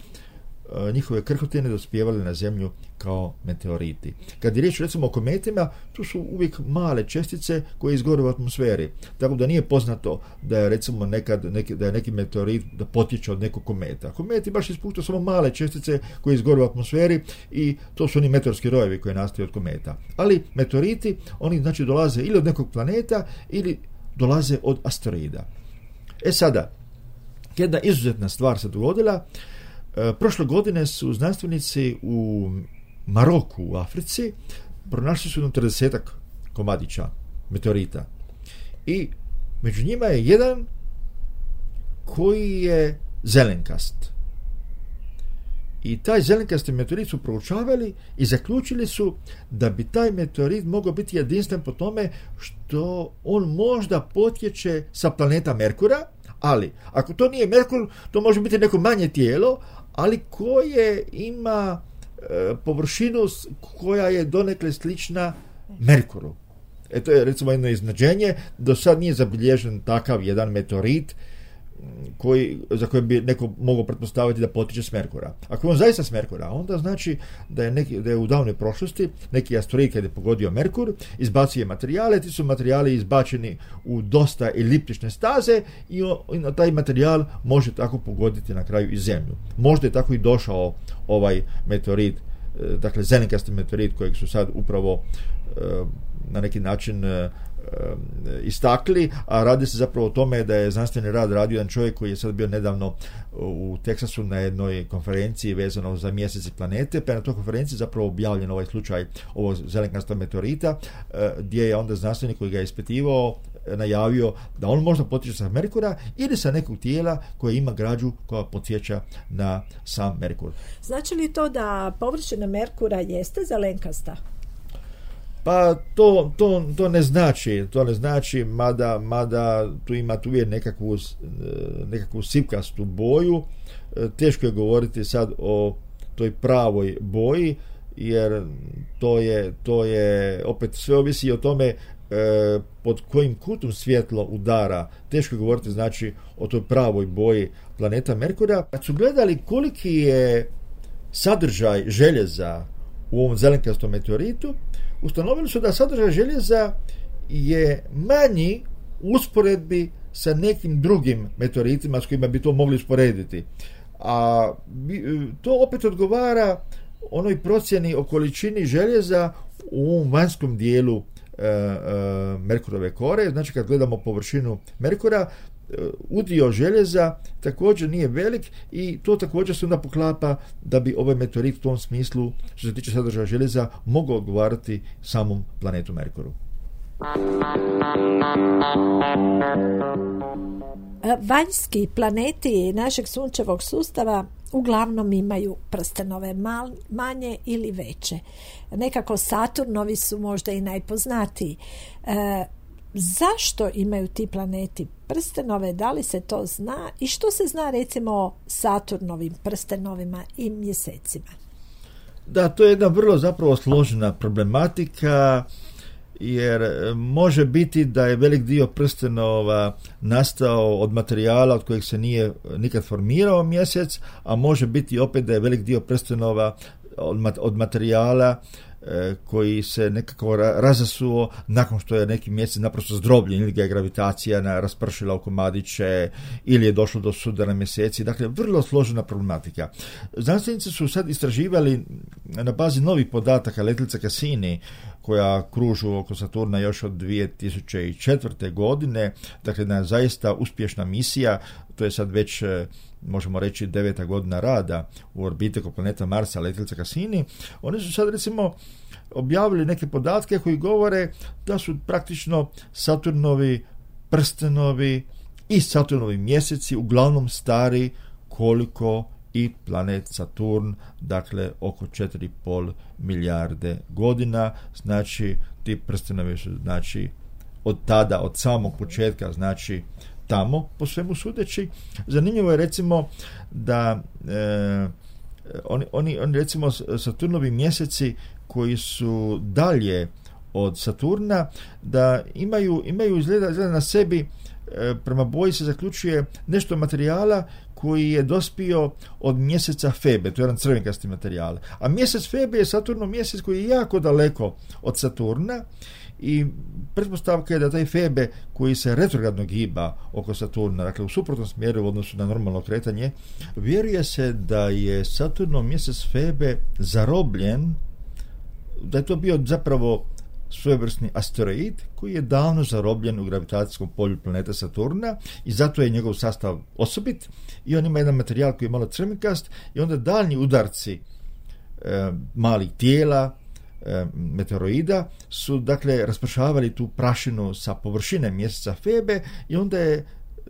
njihove krhotine dospijevale na zemlju kao meteoriti. Kad je riječ recimo o kometima, tu su uvijek male čestice koje izgore u atmosferi. Tako da nije poznato da je recimo nekad neki, da je neki meteorit da potječe od nekog kometa. Kometi baš ispuštaju samo male čestice koje izgore u atmosferi i to su oni meteorski rojevi koji nastaju od kometa. Ali meteoriti, oni znači dolaze ili od nekog planeta ili dolaze od asteroida. E sada, jedna izuzetna stvar se dogodila. E, prošle godine su znanstvenici u Maroku u Africi pronašli su jedno tridesetak komadića meteorita. I među njima je jedan koji je zelenkast. I taj zelenkasti meteorit su proučavali i zaključili su da bi taj meteorit mogao biti jedinstven po tome što on možda potječe sa planeta Merkura, ali ako to nije Merkur, to može biti neko manje tijelo, ali koje ima e, površinu koja je donekle slična Merkuru. E to je recimo jedno iznenađenje, do sad nije zabilježen takav jedan meteorit koji, za koje bi neko mogao pretpostaviti da potječe s Merkura. Ako je on zaista s Merkura, onda znači da je, neki, da je u davnoj prošlosti neki asteroid kad je pogodio Merkur, izbacio materijale, ti su materijali izbačeni u dosta eliptične staze i, o, i taj materijal može tako pogoditi na kraju i Zemlju. Možda je tako i došao ovaj meteorit, dakle zelenkasti meteorit kojeg su sad upravo na neki način istakli, a radi se zapravo o tome da je znanstveni rad radio jedan čovjek koji je sad bio nedavno u Teksasu na jednoj konferenciji vezano za mjesec i planete, pa je na toj konferenciji zapravo objavljen ovaj slučaj ovog zelenkastog meteorita, gdje je onda znanstvenik koji ga je ispitivao najavio da on možda potječe sa Merkura ili sa nekog tijela koje ima građu koja podsjeća na sam Merkur. Znači li to da površina Merkura jeste zelenkasta? Pa to, to, to ne znači, to ne znači, mada, mada tu ima tu je nekakvu, nekakvu sipkastu boju. Teško je govoriti sad o toj pravoj boji, jer to je, to je opet sve ovisi o tome e, pod kojim kutom svjetlo udara. Teško je govoriti znači o toj pravoj boji planeta Merkura. Kad su gledali koliki je sadržaj željeza u ovom zelenkastom meteoritu, ustanovili su da sadržaj željeza je manji u usporedbi sa nekim drugim meteoritima s kojima bi to mogli usporediti. A to opet odgovara onoj procjeni o količini željeza u ovom vanjskom dijelu e, e, Merkurove kore. Znači kad gledamo površinu Merkura, udio željeza također nije velik i to također se onda poklapa da bi ovaj meteorit u tom smislu, što se tiče sadržaja željeza, mogao odgovarati samom planetu Merkuru. Vanjski planeti našeg sunčevog sustava uglavnom imaju prstenove, mal, manje ili veće. Nekako Saturnovi su možda i najpoznatiji. E, zašto imaju ti planeti prstenove, da li se to zna i što se zna recimo o Saturnovim prstenovima i mjesecima? Da, to je jedna vrlo zapravo složena problematika, jer može biti da je velik dio prstenova nastao od materijala od kojeg se nije nikad formirao mjesec, a može biti opet da je velik dio prstenova od materijala koji se nekako razasuo nakon što je neki mjesec naprosto zdrobljen ili ga je gravitacija raspršila u komadiće ili je došlo do sudara mjeseci. Dakle, vrlo složena problematika. Znanstvenici su sad istraživali na bazi novih podataka letjelice Cassini koja kružu oko Saturna još od dvije tisuće četvrte. godine, dakle jedna zaista uspješna misija, to je sad već možemo reći deveta godina rada u orbiti oko planeta Marsa letjelica Cassini. Oni su sad recimo objavili neke podatke koji govore da su praktično Saturnovi prstenovi i Saturnovi mjeseci uglavnom stari koliko i planet Saturn, dakle oko četiri i pol milijarde godina. Znači ti prstenovi su znači od tada, od samog početka, znači tamo, po svemu sudeći. Zanimljivo je recimo da e, oni, oni, oni recimo Saturnovi mjeseci koji su dalje od Saturna, da imaju, imaju izgleda, izgleda na sebi, e, prema boji se zaključuje nešto materijala koji je dospio od mjeseca Febe, to je jedan crvenkasti materijal. A mjesec Febe je Saturnov mjesec koji je jako daleko od Saturna i pretpostavka je da taj Febe koji se retrogradno giba oko Saturna, dakle u suprotnom smjeru u odnosu na normalno kretanje, vjeruje se da je Saturnov mjesec Febe zarobljen, da je to bio zapravo svojevrsni asteroid koji je davno zarobljen u gravitacijskom polju planete Saturna i zato je njegov sastav osobit i on ima jedan materijal koji je malo crvenkast i onda daljnji udarci e, malih tijela e, meteoroida su dakle raspršavali tu prašinu sa površine mjeseca Febe i onda je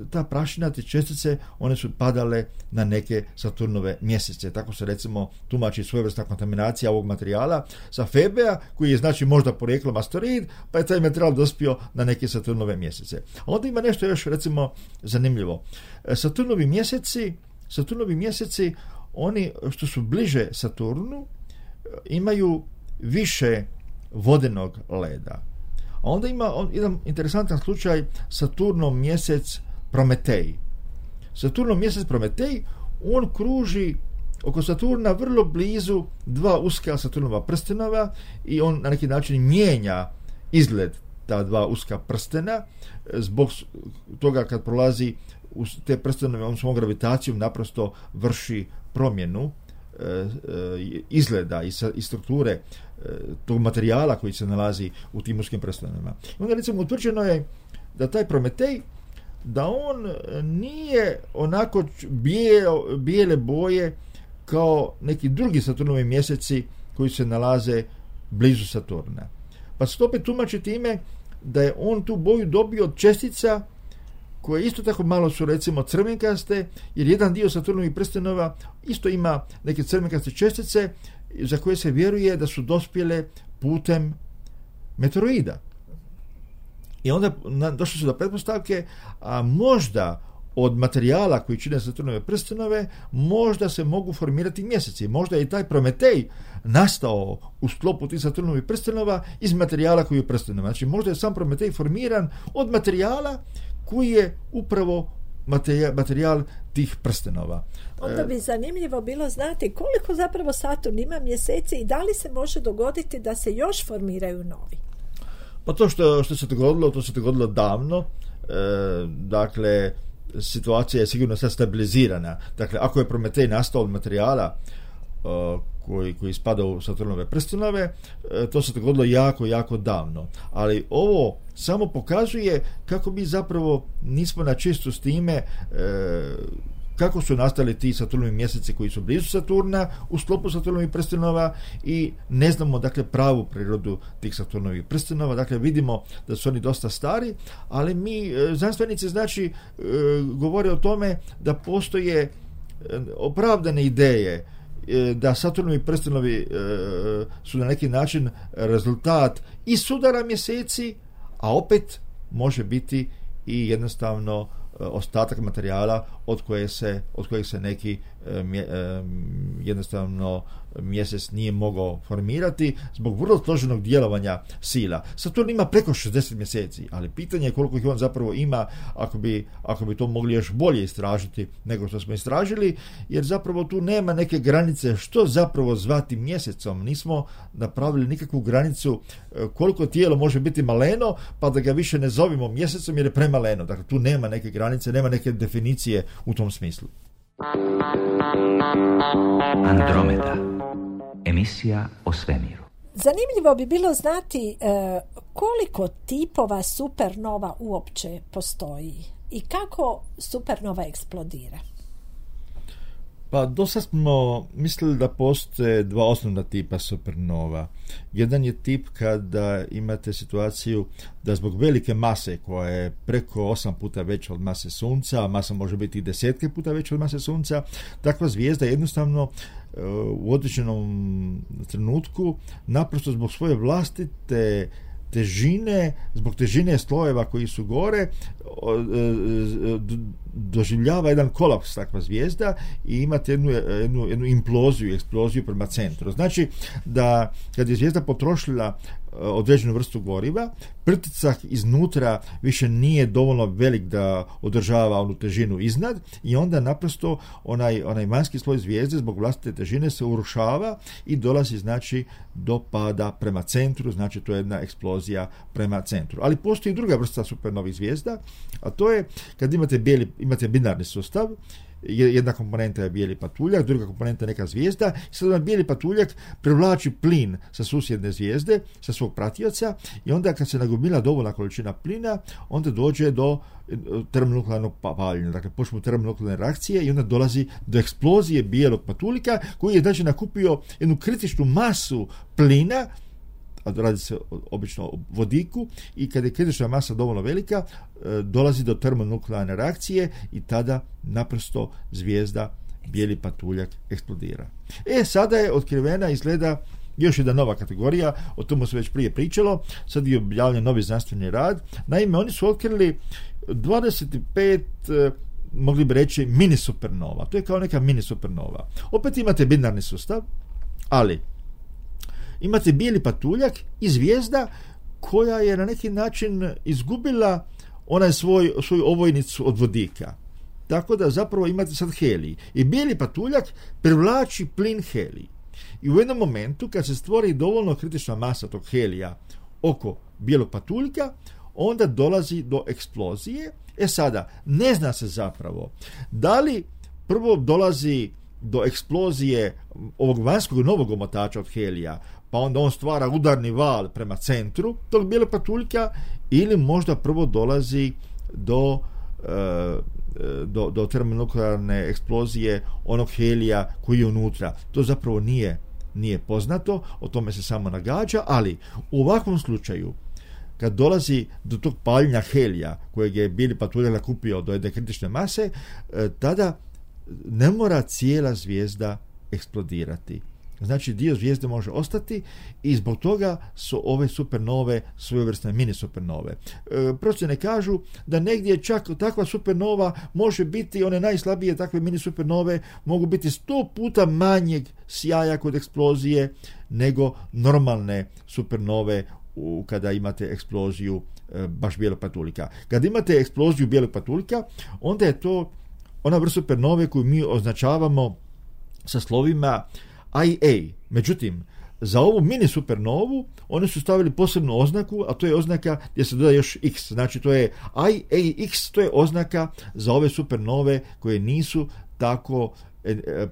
ta prašina, te čestice, one su padale na neke Saturnove mjesece. Tako se recimo tumači svojevrsna kontaminacija ovog materijala sa Febea, koji je znači možda porijeklom asteroid, pa je taj materijal dospio na neke Saturnove mjesece. A onda ima nešto još recimo zanimljivo. Saturnovi mjeseci, Saturnovi mjeseci, oni što su bliže Saturnu, imaju više vodenog leda. A onda ima jedan interesantan slučaj Saturnov mjesec Prometej. Saturnov mjesec Prometej, on kruži oko Saturna vrlo blizu dva uska Saturnova prstenova i on na neki način mijenja izgled ta dva uska prstena zbog toga kad prolazi u te prstenove, on svom gravitacijom naprosto vrši promjenu e, e, izgleda i, sa, i strukture e, tog materijala koji se nalazi u tim uskim prstenovima. I onda recimo utvrđeno je da taj Prometej, da on nije onako bijel, bijele boje kao neki drugi Saturnovi mjeseci koji se nalaze blizu Saturna. Pa se to opet tumači time da je on tu boju dobio od čestica koje isto tako malo su recimo crvenkaste, jer jedan dio Saturnovih prstenova isto ima neke crvenkaste čestice za koje se vjeruje da su dospjele putem meteoroida. I onda došli su do pretpostavke, a možda od materijala koji čine Saturnove prstenove, možda se mogu formirati mjeseci. Možda je i taj Prometej nastao u sklopu tih Saturnovih prstenova iz materijala koji je prstenova. Znači možda je sam Prometej formiran od materijala koji je upravo materijal, materijal tih prstenova. Onda bi zanimljivo bilo znati koliko zapravo Saturn ima mjeseci i da li se može dogoditi da se još formiraju novi. Pa to što, što se dogodilo, to se dogodilo davno, e, dakle, situacija je sigurno sad stabilizirana. Dakle, ako je Prometej nastao od materijala e, koji, koji spada u Saturnove prstenove, e, to se dogodilo jako, jako davno. Ali ovo samo pokazuje kako mi zapravo nismo na čistu s time e, kako su nastali ti Saturnovi mjeseci koji su blizu Saturna u sklopu Saturnovih prstenova i ne znamo dakle pravu prirodu tih Saturnovih prstenova. Dakle vidimo da su oni dosta stari, ali mi znanstvenici znači govore o tome da postoje opravdane ideje da Saturnovi prstenovi su na neki način rezultat i sudara mjeseci, a opet može biti i jednostavno ostatak materijala od koje se, od kojeg se neki mje, jednostavno mjesec nije mogao formirati zbog vrlo složenog djelovanja sila. Saturn ima preko šezdeset mjeseci, ali pitanje je koliko ih on zapravo ima ako bi, ako bi to mogli još bolje istražiti nego što smo istražili, jer zapravo tu nema neke granice što zapravo zvati mjesecom. Nismo napravili nikakvu granicu koliko tijelo može biti maleno, pa da ga više ne zovimo mjesecom jer je premaleno. Dakle, tu nema neke granice, nema neke definicije u tom smislu. Andromeda, emisija o svemiru. Zanimljivo bi bilo znati e, koliko tipova supernova uopće postoji i kako supernova eksplodira. Pa do sad smo mislili da postoje dva osnovna tipa supernova. Jedan je tip kada imate situaciju da zbog velike mase koja je preko osam puta veća od mase Sunca, a masa može biti i desetke puta veća od mase Sunca, takva zvijezda jednostavno u određenom trenutku naprosto zbog svoje vlastite težine, zbog težine slojeva koji su gore, doživljava jedan kolaps takva zvijezda i imate jednu, jednu, jednu imploziju, eksploziju prema centru. Znači da kad je zvijezda potrošila određenu vrstu goriva, pritisak iznutra više nije dovoljno velik da održava onu težinu iznad i onda naprosto onaj, onaj vanjski sloj zvijezde zbog vlastite težine se urušava i dolazi znači do pada prema centru, znači to je jedna eksplozija prema centru. Ali postoji druga vrsta supernovih zvijezda, a to je kad imate, bijeli, imate binarni sustav, jedna komponenta je bijeli patuljak, druga komponenta je neka zvijezda i sad bijeli patuljak privlači plin sa susjedne zvijezde, sa svog pratioca i onda kad se nagomila dovoljna količina plina, onda dođe do termonuklearnog paljenja, dakle počnu termonuklearne reakcije i onda dolazi do eksplozije bijelog patuljka koji je znači nakupio jednu kritičnu masu plina, a radi se obično o vodiku i kad je kritična masa dovoljno velika, dolazi do termonuklearne reakcije i tada naprosto zvijezda bijeli patuljak eksplodira. E, sada je otkrivena, izgleda, još jedna nova kategorija, o tomu se već prije pričalo, sad je objavljen novi znanstveni rad. Naime, oni su otkrili dvadeset pet, mogli bi reći, mini supernova. To je kao neka mini supernova. Opet imate binarni sustav, ali imate bijeli patuljak i zvijezda koja je na neki način izgubila onaj svoj, svoju ovojnicu od vodika. Tako da zapravo imate sad helij. I bijeli patuljak privlači plin helij. I u jednom momentu kad se stvori dovoljno kritična masa tog helija oko bijelog patuljka, onda dolazi do eksplozije. E sada, ne zna se zapravo da li prvo dolazi do eksplozije ovog vanjskog novog omotača od helija, pa onda on stvara udarni val prema centru tog bijelog patuljka, ili možda prvo dolazi do, e, do, do termonuklearne eksplozije onog helija koji je unutra. To zapravo nije, nije poznato, o tome se samo nagađa, ali u ovakvom slučaju kad dolazi do tog paljenja helija kojeg je bijeli patuljak nakupio do jedne kritične mase, e, tada ne mora cijela zvijezda eksplodirati. Znači dio zvijezde može ostati i zbog toga su ove supernove svojevrsne mini supernove. E, procjene kažu da negdje čak takva supernova može biti, one najslabije takve mini supernove mogu biti sto puta manjeg sjaja kod eksplozije nego normalne supernove u, kada imate eksploziju e, baš bijelog patuljka. Kad imate eksploziju bijelog patuljka, onda je to ona vrsta supernove koju mi označavamo sa slovima I A. Međutim, za ovu mini supernovu oni su stavili posebnu oznaku, a to je oznaka gdje se doda još X. Znači to je I A X, to je oznaka za ove supernove koje nisu tako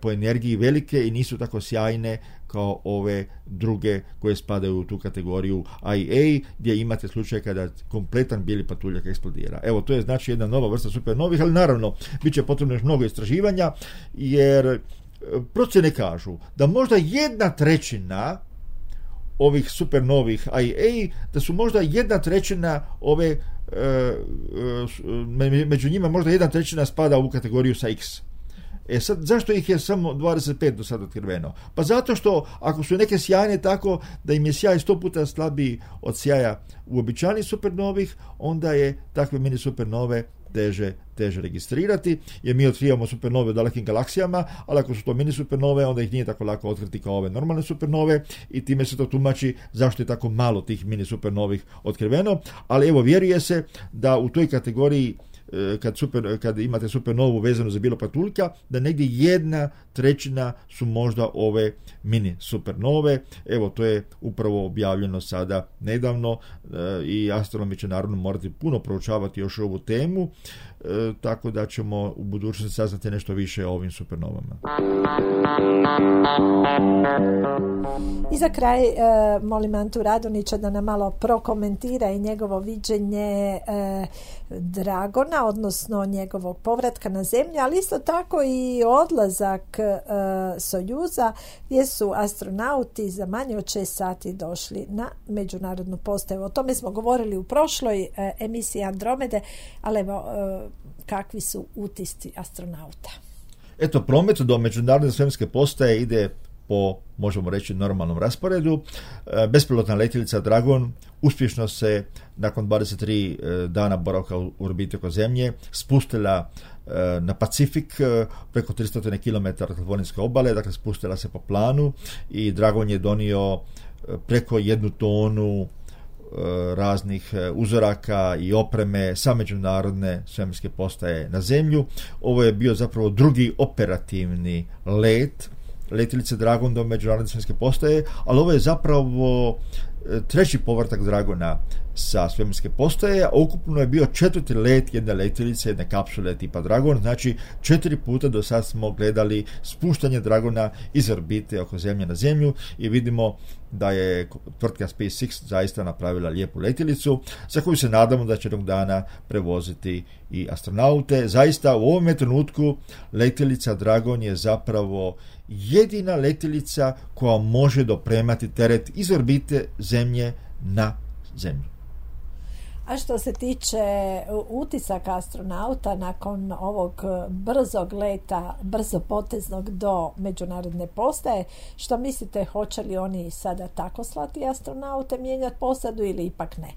po energiji velike i nisu tako sjajne kao ove druge koje spadaju u tu kategoriju I A, gdje imate slučaj kada kompletan bijeli patuljak eksplodira. Evo, to je znači jedna nova vrsta supernovih, ali naravno bit će potrebno još mnogo istraživanja, jer procjene kažu da možda jedna trećina ovih supernovih I A, da su možda jedna trećina ove, među njima možda jedna trećina spada u kategoriju sa X. E sad, zašto ih je samo dvadeset pet do sada otkriveno? Pa zato što ako su neke sjajne tako da im je sjaj sto puta slabiji od sjaja uobičajenih supernovih, onda je takve mini supernove teže, teže registrirati, jer mi otkrivamo supernove u dalekim galaksijama, ali ako su to mini supernove, onda ih nije tako lako otkriti kao ove normalne supernove i time se to tumači zašto je tako malo tih mini supernovih otkriveno, ali evo, vjeruje se da u toj kategoriji Kad, super, kad imate supernovu vezanu za bijelo patuljka, da negdje jedna trećina su možda ove mini supernove. Evo, to je upravo objavljeno sada nedavno e, i astronomi će naravno morati puno proučavati još ovu temu, e, tako da ćemo u budućnosti saznati nešto više o ovim supernovama. I za kraj e, molim Antu Radonjića da nam malo prokomentira i njegovo viđenje e, Dragona, odnosno njegovog povratka na zemlju, ali isto tako i odlazak e, Sojuza, gdje su astronauti za manje od šest sati došli na međunarodnu postaju. O tome smo govorili u prošloj e, emisiji Andromede, ali evo, e, kakvi su utisci astronauta? Eto, promet do međunarodne svemirske postaje ide po, možemo reći, normalnom rasporedu. Bespilotna letjelica Dragon uspješno se nakon dvadeset tri dana boravka u orbiti oko Zemlje spustila na Pacifik preko tristo kilometara kalifornijske obale, dakle spustila se po planu i Dragon je donio preko jednu tonu raznih uzoraka i opreme sa međunarodne svemirske postaje na zemlju. Ovo je bio zapravo drugi operativni let letjelice Dragon do međunarodne svemirske postaje, ali ovo je zapravo treći povratak Dragona sa svemirske postaje, a ukupno je bio četvrti let jedne letjelice, jedne kapsule tipa Dragon, znači četiri puta do sad smo gledali spuštanje Dragona iz orbite oko Zemlje na Zemlju i vidimo da je tvrtka SpaceX zaista napravila lijepu letjelicu za koju se nadamo da će jednog dana prevoziti i astronaute. Zaista u ovom trenutku letjelica Dragon je zapravo jedina letjelica koja može dopremati teret iz orbite Zemlje na Zemlju. A što se tiče utisaka astronauta nakon ovog brzog leta, brzopoteznog do međunarodne postaje, što mislite, hoće li oni sada tako slati astronaute, mijenjati posadu ili ipak ne?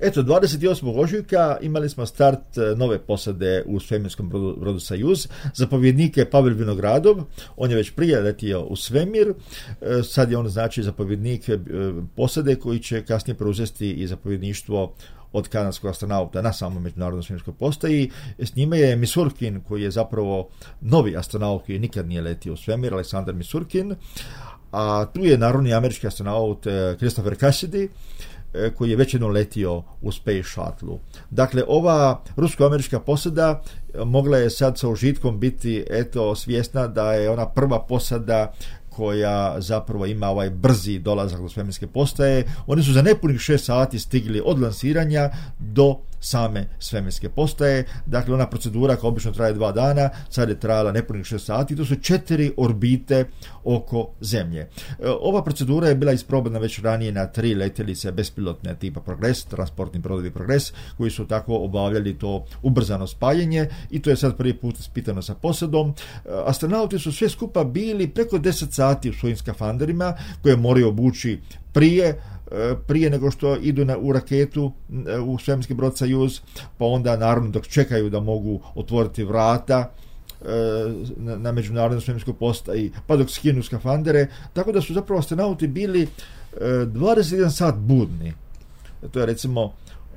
Eto, dvadeset osmog ožujka imali smo start nove posade u svemirskom brodu, brodu Sajuz. Zapovjednik je Pavel Vinogradov, on je već prije letio u svemir, sad je on znači zapovjednik posade koji će kasnije preuzeti i zapovjedništvo od kanadskog astronauta na samom međunarodnoj svemirskoj postaji. S njime je Misurkin, koji je zapravo novi astronaut koji nikad nije letio u svemir, Aleksandar Misurkin, a tu je narodni američki astronaut Christopher Cassidy, koji je već jednom letio u Space Shuttle. Dakle, ova rusko-američka posada mogla je sad sa užitkom biti eto svjesna da je ona prva posada koja zapravo ima ovaj brzi dolazak do svemirske postaje. Oni su za nepunih šest sati stigli od lansiranja do same svemirske postaje. Dakle, ona procedura koja obično traje dva dana, sad je trajala nepunih šest sati. To su četiri orbite oko Zemlje. Ova procedura je bila isprobana već ranije na tri letjelice bespilotne tipa Progress, transportni brodovi Progress, koji su tako obavljali to ubrzano spajanje i to je sad prvi put ispitano sa posadom. Astronauti su sve skupa bili preko deset sati u svojim skafanderima koje moraju obući prije prije nego što idu na, u raketu u svemirski brod Sajuz, pa onda naravno dok čekaju da mogu otvoriti vrata na, na međunarodnoj svemirskoj postaji, pa dok skinu skafandere, tako da su zapravo astronauti bili dvadeset jedan sat budni. To je recimo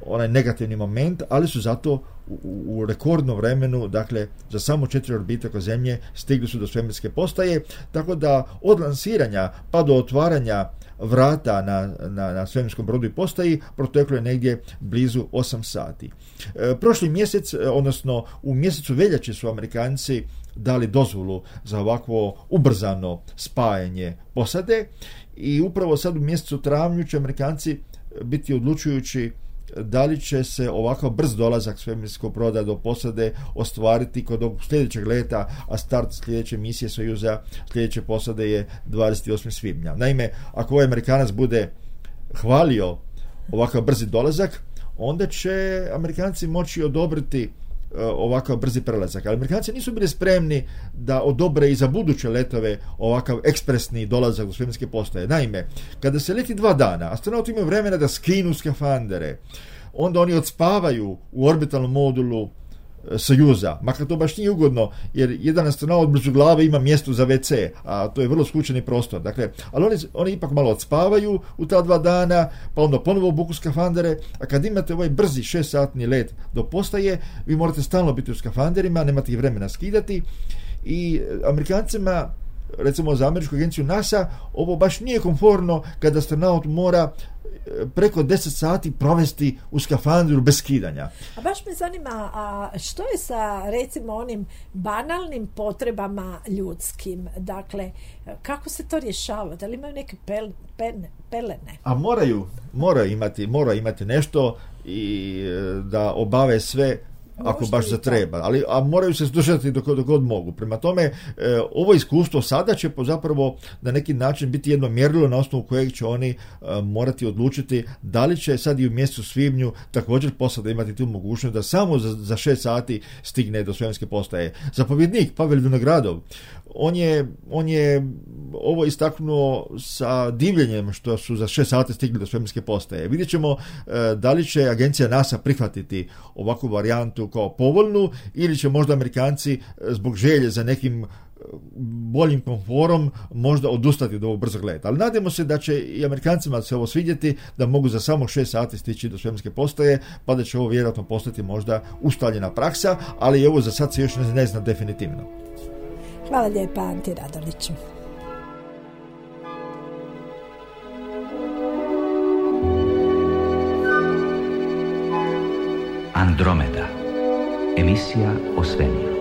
onaj negativni moment, ali su zato u, u rekordnom vremenu, dakle za samo četiri orbite oko Zemlje stigli su do svemirske postaje, tako da od lansiranja pa do otvaranja vrata na, na, na svemirskom brodu i postaji proteklo je negdje blizu osam sati. E, prošli mjesec, odnosno u mjesecu veljače su Amerikanci dali dozvolu za ovakvo ubrzano spajanje posade i upravo sad u mjesecu travnju će Amerikanci biti odlučujući da li će se ovakav brz dolazak svemirskog broda do posade ostvariti kod ovog sljedećeg leta, a start sljedeće misije Sojuza, sljedeće posade je dvadeset osmog svibnja. Naime, ako ovaj Amerikanac bude hvalio ovakav brzi dolazak, onda će Amerikanci moći odobriti ovakav brzi prelazak. Ali Amerikanci nisu bili spremni da odobre i za buduće letove ovakav ekspresni dolazak do svemirske postaje. Naime, kada se leti dva dana, astronauti imaju vremena da skinu skafandere, onda oni odspavaju u orbitalnom modulu Sojuza, makar to baš nije ugodno, jer jedan astronaut blizu glave ima mjesto za ve ce, a to je vrlo skučeni prostor. Dakle, ali oni, oni ipak malo odspavaju u ta dva dana, pa onda ponovo obuku skafandere, a kad imate ovaj brzi šest-satni let do postaje, vi morate stalno biti u skafanderima, nemate ih vremena skidati i Amerikancima, recimo za američku agenciju NASA, ovo baš nije komfortno kada astronaut mora preko deset sati provesti u skafandru bez skidanja. A baš me zanima, a što je sa recimo onim banalnim potrebama ljudskim? Dakle, kako se to rješava? Da li imaju neke pel, pen, pelene? A moraju, moraju imati, moraju imati nešto i da obave sve ako baš zatreba, ali a moraju se slušati dok, dok god mogu. Prema tome, e, ovo iskustvo sada će zapravo na neki način biti jedno mjerilo na osnovu kojeg će oni e, morati odlučiti da li će sad i u mjesecu svibnju također posada imati tu mogućnost da samo za, za šest sati stigne do svemirske postaje. Zapovjednik Pavel Vinogradov, on je, on je ovo istaknuo sa divljenjem što su za šest sati stigli do svemirske postaje. Vidjet ćemo e, da li će agencija NASA prihvatiti ovakvu varijantu kao povoljnu ili će možda Amerikanci zbog želje za nekim boljim komforom možda odustati od ovog brzog leta. Ali nadamo se da će i Amerikancima se ovo svidjeti, da mogu za samo šest sati stići do svemirske postaje, pa da će ovo vjerojatno postati možda ustaljena praksa, ali ovo za sad se još ne zna definitivno. Hvala lijepa, Anti Radoniću. Andromeda. Emisija o svemiru.